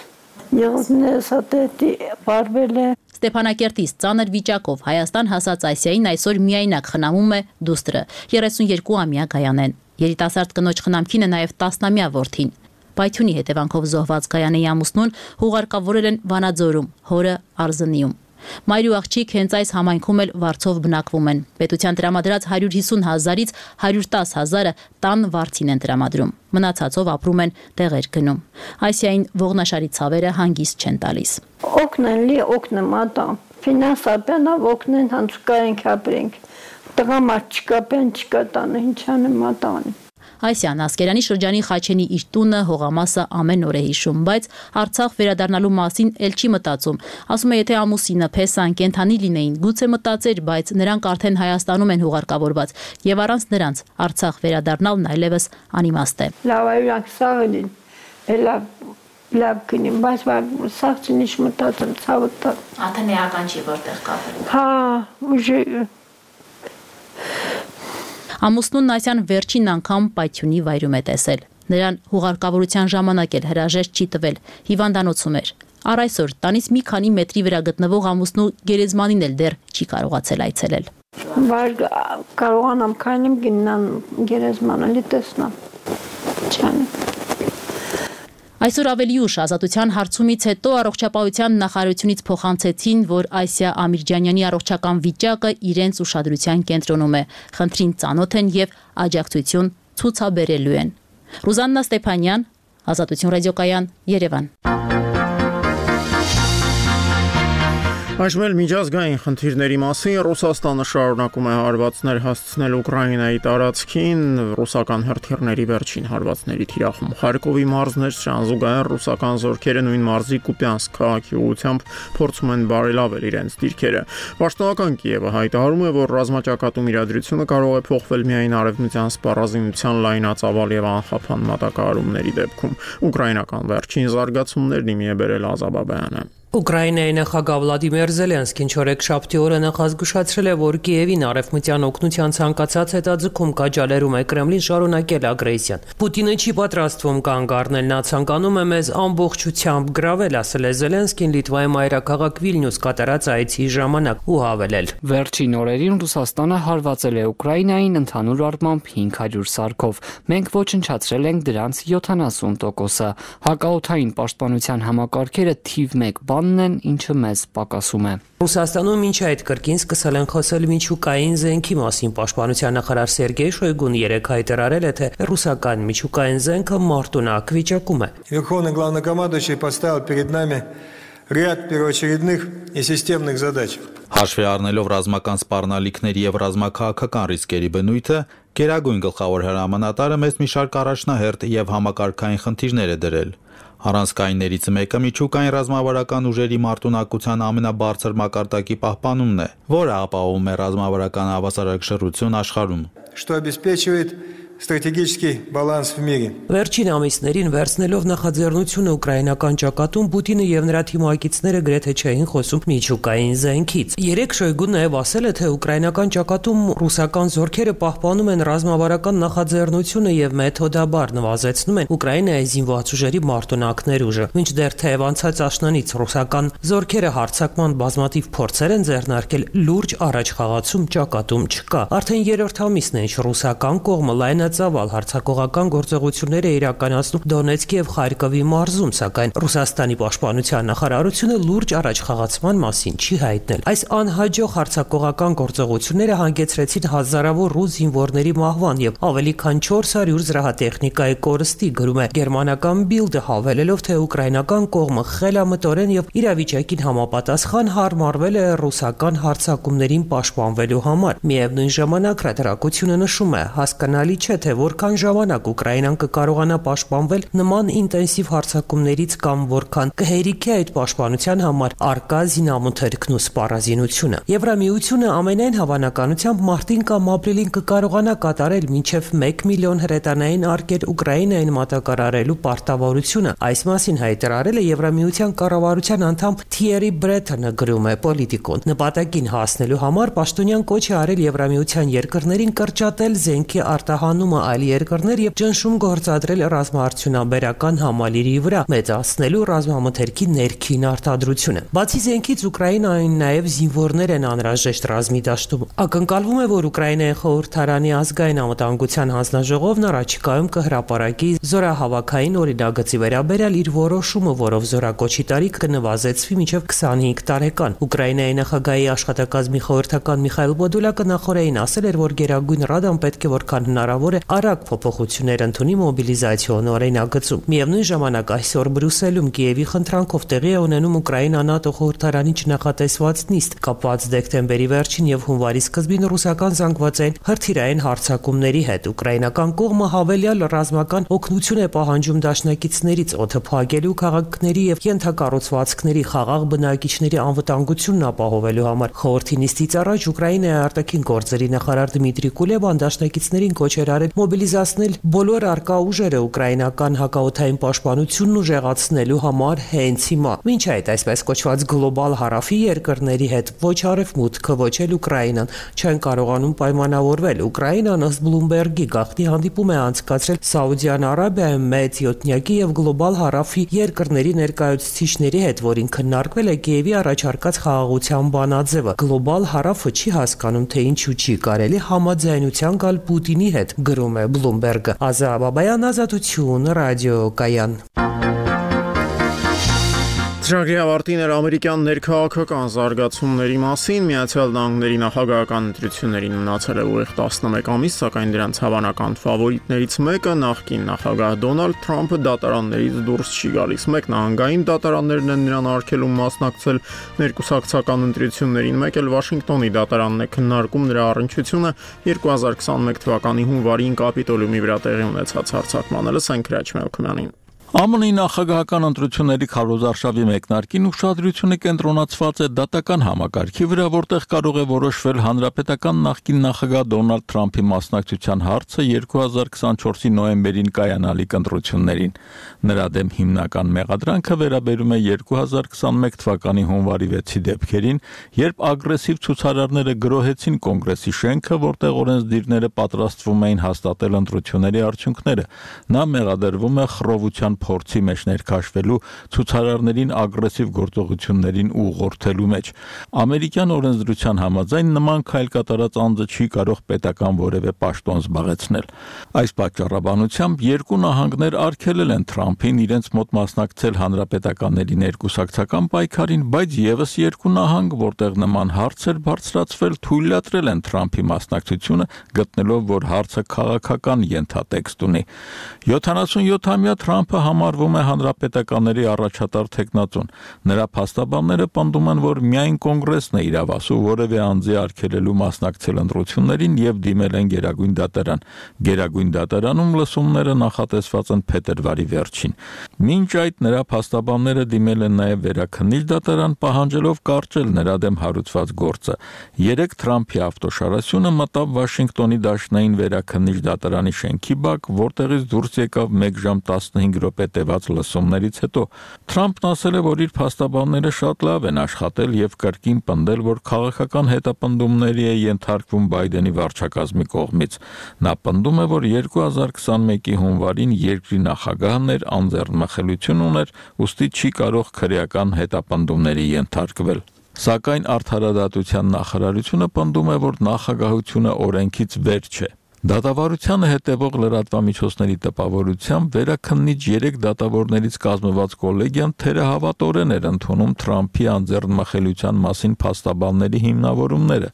Speaker 20: եղողներս հատետի բարվել է։
Speaker 19: Ստեփանակերտից ծանր վիճակով Հայաստան հասած Ասիային այսօր միայնակ խնամում է դուստրը, երեսուներկուամյա Գայանեն։ Երիտասարդ կնոջ խնամքին է նաև տասնամյա որդին։ Պայթյունի հետևանքով զոհված Գայանեի ամուսնուն հուղարկավորել են Վանաձորում, հորը Արզնիում։ Մայր ու աղջիկ հենց այս համայնքում էլ վարձով բնակվում են։ Պետության տրամադրած հարյուր հիսուն հազարից հարյուր տասը հազարը տան վարձին են տրամադրում։ Մնացածով ապրում են տեղեր գնում։ Ասիային ողնաշարի ցավերը հանգիստ չեն տալիս։
Speaker 20: Օգնեն լի օգնեմ ատամ։ Ֆինանսաբանով օգնեն հանցուկային ապրենք։ Տղամարդ չկա, բան չկա տանը, ինչ անեմ ատան։
Speaker 19: Այսյան Ասկերանի շրջանի Խաչենի իր տունը հողամասը ամեն օր է հիշում, բայց Արցախ վերադառնալու մասին էլ չի մտածում։ Ասում է, եթե ամուսինը փեսան կենթանի լինեին, գուցե մտածեր, բայց նրանք արդեն Հայաստանում են հուղարկավորված, եւ առանց նրանց Արցախ վերադառնալն այլևս անիմաստ է։
Speaker 20: Լավ այրանք սաղին, լավ լավ կինեմ, բայց սաղ չնիշ մտածեմ, ցավը տա։
Speaker 19: Աթենեական չի որտեղ կապել։
Speaker 20: Հա, ուժը
Speaker 19: Ամուսնուն Ասյան վերջին անգամ Պայթյունի վայրում է տեսել։ Նրան հուղարկավորության ժամանակ էլ հրաժեշտ չի տվել, հիվանդանոցում էր։ Առ այսօր տանից մի քանի մետրի վրա գտնվող ամուսնու գերեզմանին էլ դեռ չի կարողացել այցելել։
Speaker 20: Բայց կարողանամ քայլեմ գնամ գերեզմանը լի տեսնամ։ Չան
Speaker 19: Այսօր ավելի ուշ ազատության հարցումից հետո առողջապահության նախարարությունից փոխանցեցին, որ Ասիա Ամիրջանյանի առողջական վիճակը իրենց ուշադրության կենտրոնում է, խնդրին ծանոթ են եւ աջակցություն ցուցաբերելու են։ Ռուզաննա Ստեփանյան, Ազատություն ռադիոկայան, Երևան։
Speaker 1: Այժմ էլ միջազգային խնդիրների մասին Ռուսաստանը շարունակում է հարվածներ հասցնել Ուկրաինայի տարածքին, ռուսական հրթիռների վերջին հարվածների թիրախում Խարկովի մարզներ շանզուգահեռ ռուսական զորքերը նույն մարզի Կուպյանսկ քաղաքի ուղղությամբ փորձում են բարելավել իրենց դիրքերը։ Պաշտոնական Կիևը հայտարարում է, որ ռազմաճակատում իրադրությունը կարող է փոխվել միայն արևմտյան սպառազինության լայնածավալ եւ անխափան մատակարարումների դեպքում։ Ուկրաինական վերջին զարգացումներն իմի է բերել Ազաբաբյանը։
Speaker 21: Ուկրաինայի նախագահ Վլադիմիր Զելենսկին չորեքշաբթի օրը նախազգուշացրել է, որ Կիևին արևմտյան օգնության ցանկացած հետաձգում կաջալերում է Կրեմլին շարունակել ագրեսիան։ Պուտինը չի պատրաստվում կանգ առնել, նա ցանկանում է մեզ ամբողջությամբ գրավել, ասել է Զելենսկին Լիտվայի մայրաքաղաք Վիլնյուս կատարած այցի ժամանակ ու հավելել.
Speaker 5: Վերջին օրերին Ռուսաստանը հարվածել է Ուկրաինային ընդհանուր առմամբ հինգ հարյուր սարքով։ Մենք ոչնչացրել ենք դրանց յոթանասուն տոկոսը։ Հակաօդային պաշտպանության համակարգերը թիվ մեկ են, ինչը մեզ պակասում է։
Speaker 21: Ռուսաստանում մինչ այդ կրկին սկսել են խոսել միջուկային զենքի մասին։ Պաշտպանության նախարար Սերգեյ Շոյգուն երեկ հայտարարել է, թե ռուսական միջուկային զենքը մարտունակ վիճակում է։
Speaker 22: Верховный главнокомандующий поставил перед нами ряд первоочередных и системных задач.
Speaker 23: Հաշվի առնելով ռազմական սպառնալիքների եւ ռազմաքաղաքական ռիսկերի բնույթը, Գերագույն գլխավոր հրամանատարը մեծ մի շարք առաջնահերթ եւ համակարգային խնդիրներ է դրել։ Առանցքայիններից մեկը միջուկային ռազմավարական ուժերի մարտունակության ամենաբարձր մակարդակի պահպանումն է, որը ապահովում է ռազմավարական հավասարակշռություն աշխարհում,
Speaker 22: что обеспечивает стратегический баланс в мире.
Speaker 21: Վերջին ամիսներին վերցնելով նախաձեռնությունը ուկրաինական ճակատում Պուտինը եւ նրա թիմակիցները գրեթե չէին խոսում միջուկային զենքից։ Երեք Շոյգուն նաեւ ասել է, թե ուկրաինական ճակատում ռուսական զորքերը պահպանում են ռազմավարական նախաձեռնությունը եւ մեթոդաբար նվազեցնում են Ուկրաինայի զինված ուժերի մարտունակներ ուժը։ Մինչդեռ թեև անցած աշնանից ռուսական զորքերը հարձակման բազմաթիվ փորձեր են ձեռնարկել, լուրջ առաջխաղացում ճակատում չկա։ Արդեն երրորդ ամիսն է, ինչ ռուսական կողմը լայն ծավալ հարձակողական գործողություններ է իրականացնում Դոնեցկի եւ Խարկովի մարզում, սակայն Ռուսաստանի պաշտպանության նախարարությունը լուրջ առաջխաղացման մասին չի հայտնել։ Այս անհաջող հարձակողական գործողությունները հանգեցրեցին հազարավոր ռուս զինվորների մահվան եւ ավելի քան չորս հարյուր զրահատեխնիկայի կորստի, գրում է գերմանական Bild-ը, հավելելով, թե ուկրաինական կողմը խելամտորեն եւ իրավիճակին համապատասխան հարմարվել է ռուսական հարձակումներին պաշտպանվելու համար։ Միևնույն ժամանակ հրատարակությունը նշում է, հասկանալի չէ, թե որքան ժամանակ Ուկրաինան կկարողանա պաշտպանվել նման ինտենսիվ հարձակումներից կամ որքան կհերիքի այդ պաշտպանության համար արկա զինամթերքն ու սպառազինությունը։ Եվրամիությունը ամենայն հավանականությամբ մարտին կամ ապրիլին կկարողանա կատարել մինչև մեկ միլիոն հրետանային արկեր Ուկրաինային մատակարարելու պարտավորությունը։ Այս մասին հայտարարել է Եվրամիության կառավարության անդամ Թիերի Բրեթոնը, գրում է Պոլիտիկոն։ Նպատակին հասնելու համար պաշտոնյան կոչ է արել Եվրամիության երկրներին կրճատել զենքի արտահանումը այլ երկրներ եւ ճնշում գործադրել ռազմաարդյունաբերական համալիրի վրա, մեծացնելու ռազմամթերքի ներքին արտադրությունը։ Բացի զենքից Ուկրաինային նաեւ զինվորներ են անհրաժեշտ ռազմի դաշտում։ Ակնկալվում է, որ Ուկրաինայի խորհրդարանի ազգային անվտանգության հանձնաժողովն առաջիկայում կհրապարակի զորահավաքային օրինագծի վերաբերյալ իր որոշումը, որով զորակոչի տարիքը կնվազեցվի մինչև քսանհինգ տարեկան։ Ուկրաինայի նախագահի աշխատակազմի խորհրդական Միխայել Պոդոլյակը նախորդին ասել էր, որ Գերագույն Ռադան պետք է որքան հնարավոր է արագ փոփոխություններ ընդունի մոբիլիզացիոն օրինագծում։ Միևնույն ժամանակ այսօր Բրյուսելում Կիևի խնդրանքով տեղի է ունենում Ուկրաինա-ՆԱՏՕ խորհրդարանի չնախատեսված նիստ կապված դեկտեմբերի վերջին եւ հունվարի սկզբին ռուսական զանգվածային հրթիռային հարձակումների հետ։ Ուկրաինական կողմը հավելյալ ռազմական օգնություն է պահանջում դաշնակիցներից օդը փակելու, քաղաքների եւ ենթակառուցվածքների խաղաղ բնակիչների անվտանգությունն ապահովելու համար։ Խորհրդի նիստից առաջ Ուկրաինայի արտաքին գործերի նախարար Դմիտրի Կուլեբան դաշնակիցներին կոչ էր արել մոբիլիզացնել բոլոր արկա ուժերը ուկրաինական հակաօդային պաշտպանությունն ուժեղացնելու համար հենց հիմա։ Մինչ այդ այսպես կոչված գլոբալ հարավի երկրների հետ ոչ արևմուտքը, ոչ էլ Ուկրաինան չեն կարողանում պայմանավորվել։ Ուկրաինան ըստ Բլումբերգի գաղտնի հանդիպում է անցկացրել Սաուդյան Արաբիայում մեծ յոթնյակի եւ գլոբալ հարավի երկրների ներկայացուցիչների հետ, որին քննարկվել է Կիևի առաջարկած խաղաղության բանաձևը։ Գլոբալ հարավը չի հասկանում, թե ինչու չի կարելի համաձայնության գալ Պուտինի հետ, գրում է Բլումբերգը։ Ազատ Բաբայան, Ազատություն, ռադիոկայան։
Speaker 1: Ծրագրի ավարտին էր ամերիկյան ներքաղաքական զարգացումների մասին։ Միացյալ Նահանգների նախագահական ընտրություններին մնացել է ուղիղ տասնմեկ ամիս, սակայն դրանց հավանական ֆավորիտներից մեկը նախկին նախագահ Դոնալդ Թրամփը դատարաններից դուրս չի գալիս։ Մեկ նահանգային դատարաններն են նրան արգելում մասնակցել ներկուսակցական ընտրություններին, մեկ էլ Վաշինգտոնի դատարանն է քննարկում նրա առնչությունը երկու հազար քսանմեկ թվականի հունվարին Կապիտոլիումի վրա տեղի ունեցած հարձակմանը։ Լսենք Քրաչ Մելքոյանին։
Speaker 23: ԱՄՆ-ի նախագահական ընտրությունների քարոզարշավի մեկնարկին ուշադրությունը կենտրոնացված է դատական համակարգի վրա, որտեղ կարող է որոշվել հանրապետական նախկին նախագահ Դոնալդ Թրամփի մասնակցության հարցը երկու հազար քսանչորսի նոյեմբերին կայանալիք ընտրություններին։ Նրա դեմ հիմնական մեղադրանքը վերաբերում է երկու հազար քսանմեկ թվականի հունվարի վեցի դեպքերին, երբ ագրեսիվ ցուցարարները գրոհեցին կոնգրեսի շենքը, որտեղ օրենսդիրները պատրաստվում էին հաստատել ընտրությունների արդյունքները։ Նա մեղադրվում է խռովության փորձի մեջ ներքաշվելու, ցուցարարներին ագրեսիվ գործողություններին ուղղորդելու մեջ։ Ամերիկյան օրենսդրության համաձայն նման քայլ կատարած անձը չի կարող պետական որևէ պաշտոն զբաղեցնել։ Այս պատճառաբանությամբ երկու նահանգներ արգելել են Թրամփին իրենց մոտ մասնակցել հանրապետականների ներկուսակցական պայքարին, բայց եւս երկու նահանգ, որտեղ նման հարց էր բարձրացվել, թույլատրել են Թրամփի մասնակցությունը, գտնելով, որ հարցը քաղաքական ենթատեքստ ունի։ յոթանասունյոթամյա Թրամփը համարվում է հանրապետականների առաջատար թեկնածուն։ Նրա փաստաբանները պնդում են, որ միայն կոնգրեսն է իրավասու որևէ անձի արգելելու մասնակցել ընտրություններին եւ դիմել են Գերագույն դատարան։ Գերագույն դատարանում լսումները նախատեսված են փետրվարի վերջին։ Մինչ այդ նրա փաստաբանները դիմել են նաեւ վերաքննիչ դատարան, պահանջելով կարճել նրա դեմ հարուցված գործը։ Երեք Թրամփի ավտոշարասյունը մտավ Վաշինգտոնի դաշնային վերաքննիչ դատարանի շենքի բակ, որտեղից դուրս եկավ մեկ ժամ տասնհինգ րոպե տևած լսումներից հետո։ Թրամփն ասել է, որ իր փաստաբանները շատ լավ են աշխատել եւ կրկին պնդել, որ քաղաքական հետապնդումների է ենթարկվում Բայդենի վարչակազմի կողմից։ Նա պնդում է, որ երկու հազար քսանմեկի հունվարին երկրի նախագահն էր, անձեռնմխելիություն ուներ, ուստի չի կարող քրեական հետապնդումների ենթարկվել։ Սակայն արդարադատության նախարարությունը պնդում է, որ նախագահությունը օրենքից վեր չէ։ Դատավարությանը հետևող լրատվամիջոցների տպավորությամբ վերաքննիչ երեք դատավորներից կազմված կոլեգիան թերահավատորեն էր ընդունում Թրամփի անձեռնմխելիության մասին փաստաբանների հիմնավորումները։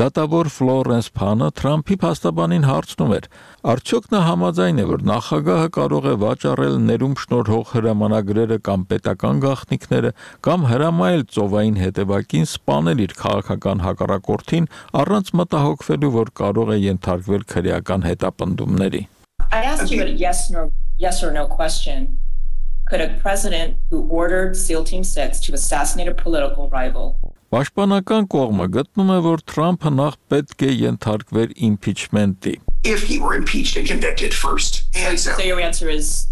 Speaker 23: Դատավոր Ֆլորենս Փանը Թրամփի փաստաբանին հարցնում էր. Արդյոք նա համաձայն է, որ նախագահը կարող է վաճառել ներում շնորհող հրամանագրերը կամ պետական գաղտնիքները կամ հրամայել ծովային հետևակին սպանել իր քաղաքական հակառակորդին առանց մտահոգվելու, որ կարող է ենթարկվել քրեական քրեական հետապնդումների։
Speaker 2: I asked you a yes or yes or no question. Could a president who ordered SEAL Team six to assassinate a political rival?
Speaker 23: Պաշտպանական կողմը գտնում է, որ Թրամփը նախ պետք է ենթարկվեր իմպիչմենտի։
Speaker 3: If he were impeached and convicted first. And so,
Speaker 2: so your answer is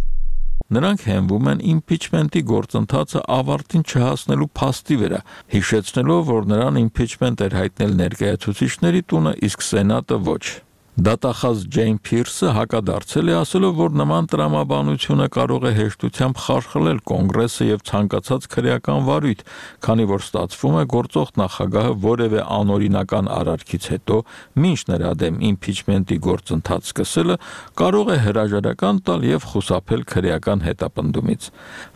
Speaker 23: Նրանք հենվում են իմպիչմենտի գործընթացը ավարտին չհասնելու փաստի վրա, հիշեցնելով, որ նրան իմպիչմենտ էր հայտնել ներկայացուցիչների տունը, իսկ Սենատը ոչ։ Դատախազ Ջեյն Փիրսը հակադարձել է, ասելով, որ նման տրամաբանությունը կարող է հեշտությամբ խարխլել կոնգրեսը եւ ցանկացած քրեական վարույթ, քանի որ ստացվում է գործող նախագահը որևէ անօրինական արարքից հետո, մինչ նրա դեմ իմպիչմենտի գործընթաց սկսելը, կարող է հրաժարական տալ եւ խուսափել քրեական հետապնդումից։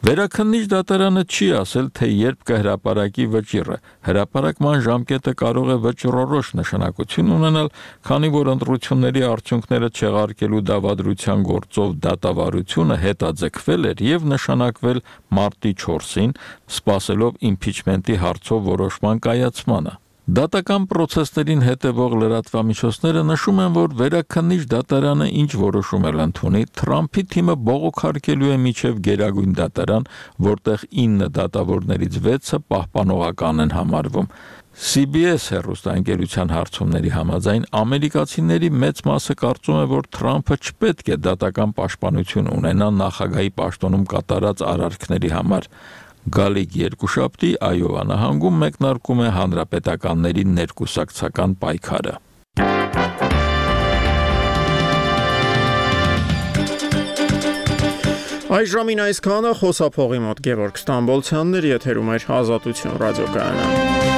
Speaker 23: Վերաքննիչ դատարանը չի ասել, թե երբ կհրապարակի վճիռը։ Հրապարակման ժամկետը կարող է վճռորոշ նշանակություն ունենալ, քանի որ ընտրությունների արդյունքները չեղարկելու դավադրության գործով դատավարությունը հետաձգվել էր եւ նշանակվել մարտի չորսին, սպասելով իմպիչմենտի հարցով որոշման կայացմանը։ Դատական պրոցեսներին հետևող լրատվամիջոցները նշում են, որ վերաքննիչ դատարանը ինչ որոշում էլ ընդունի, Թրամփի թիմը բողոքարկելու է միջև գերագույն դատարան, որտեղ ինը դատավորներից վեցը պահպանողական են համարվում։ C B S հեռուստաընկերության հարցումների համաձայն ամերիկացիների մեծ մասը կարծում է, որ Թրամփը չպետք է դատական պաշտպանություն ունենա նախագահի պաշտոնում կատարած արարքների համար։ Գալիք երկուշաբթի Այովա նահանգում մեկնարկում է հանրապետականների ներկուսակցական պայքարը։
Speaker 1: Այժմին այսքանը խոսափողի մոտ Գևորգ Ստամբոլցյանն էր, եթերում էր Ազատություն ռադիոկայանը։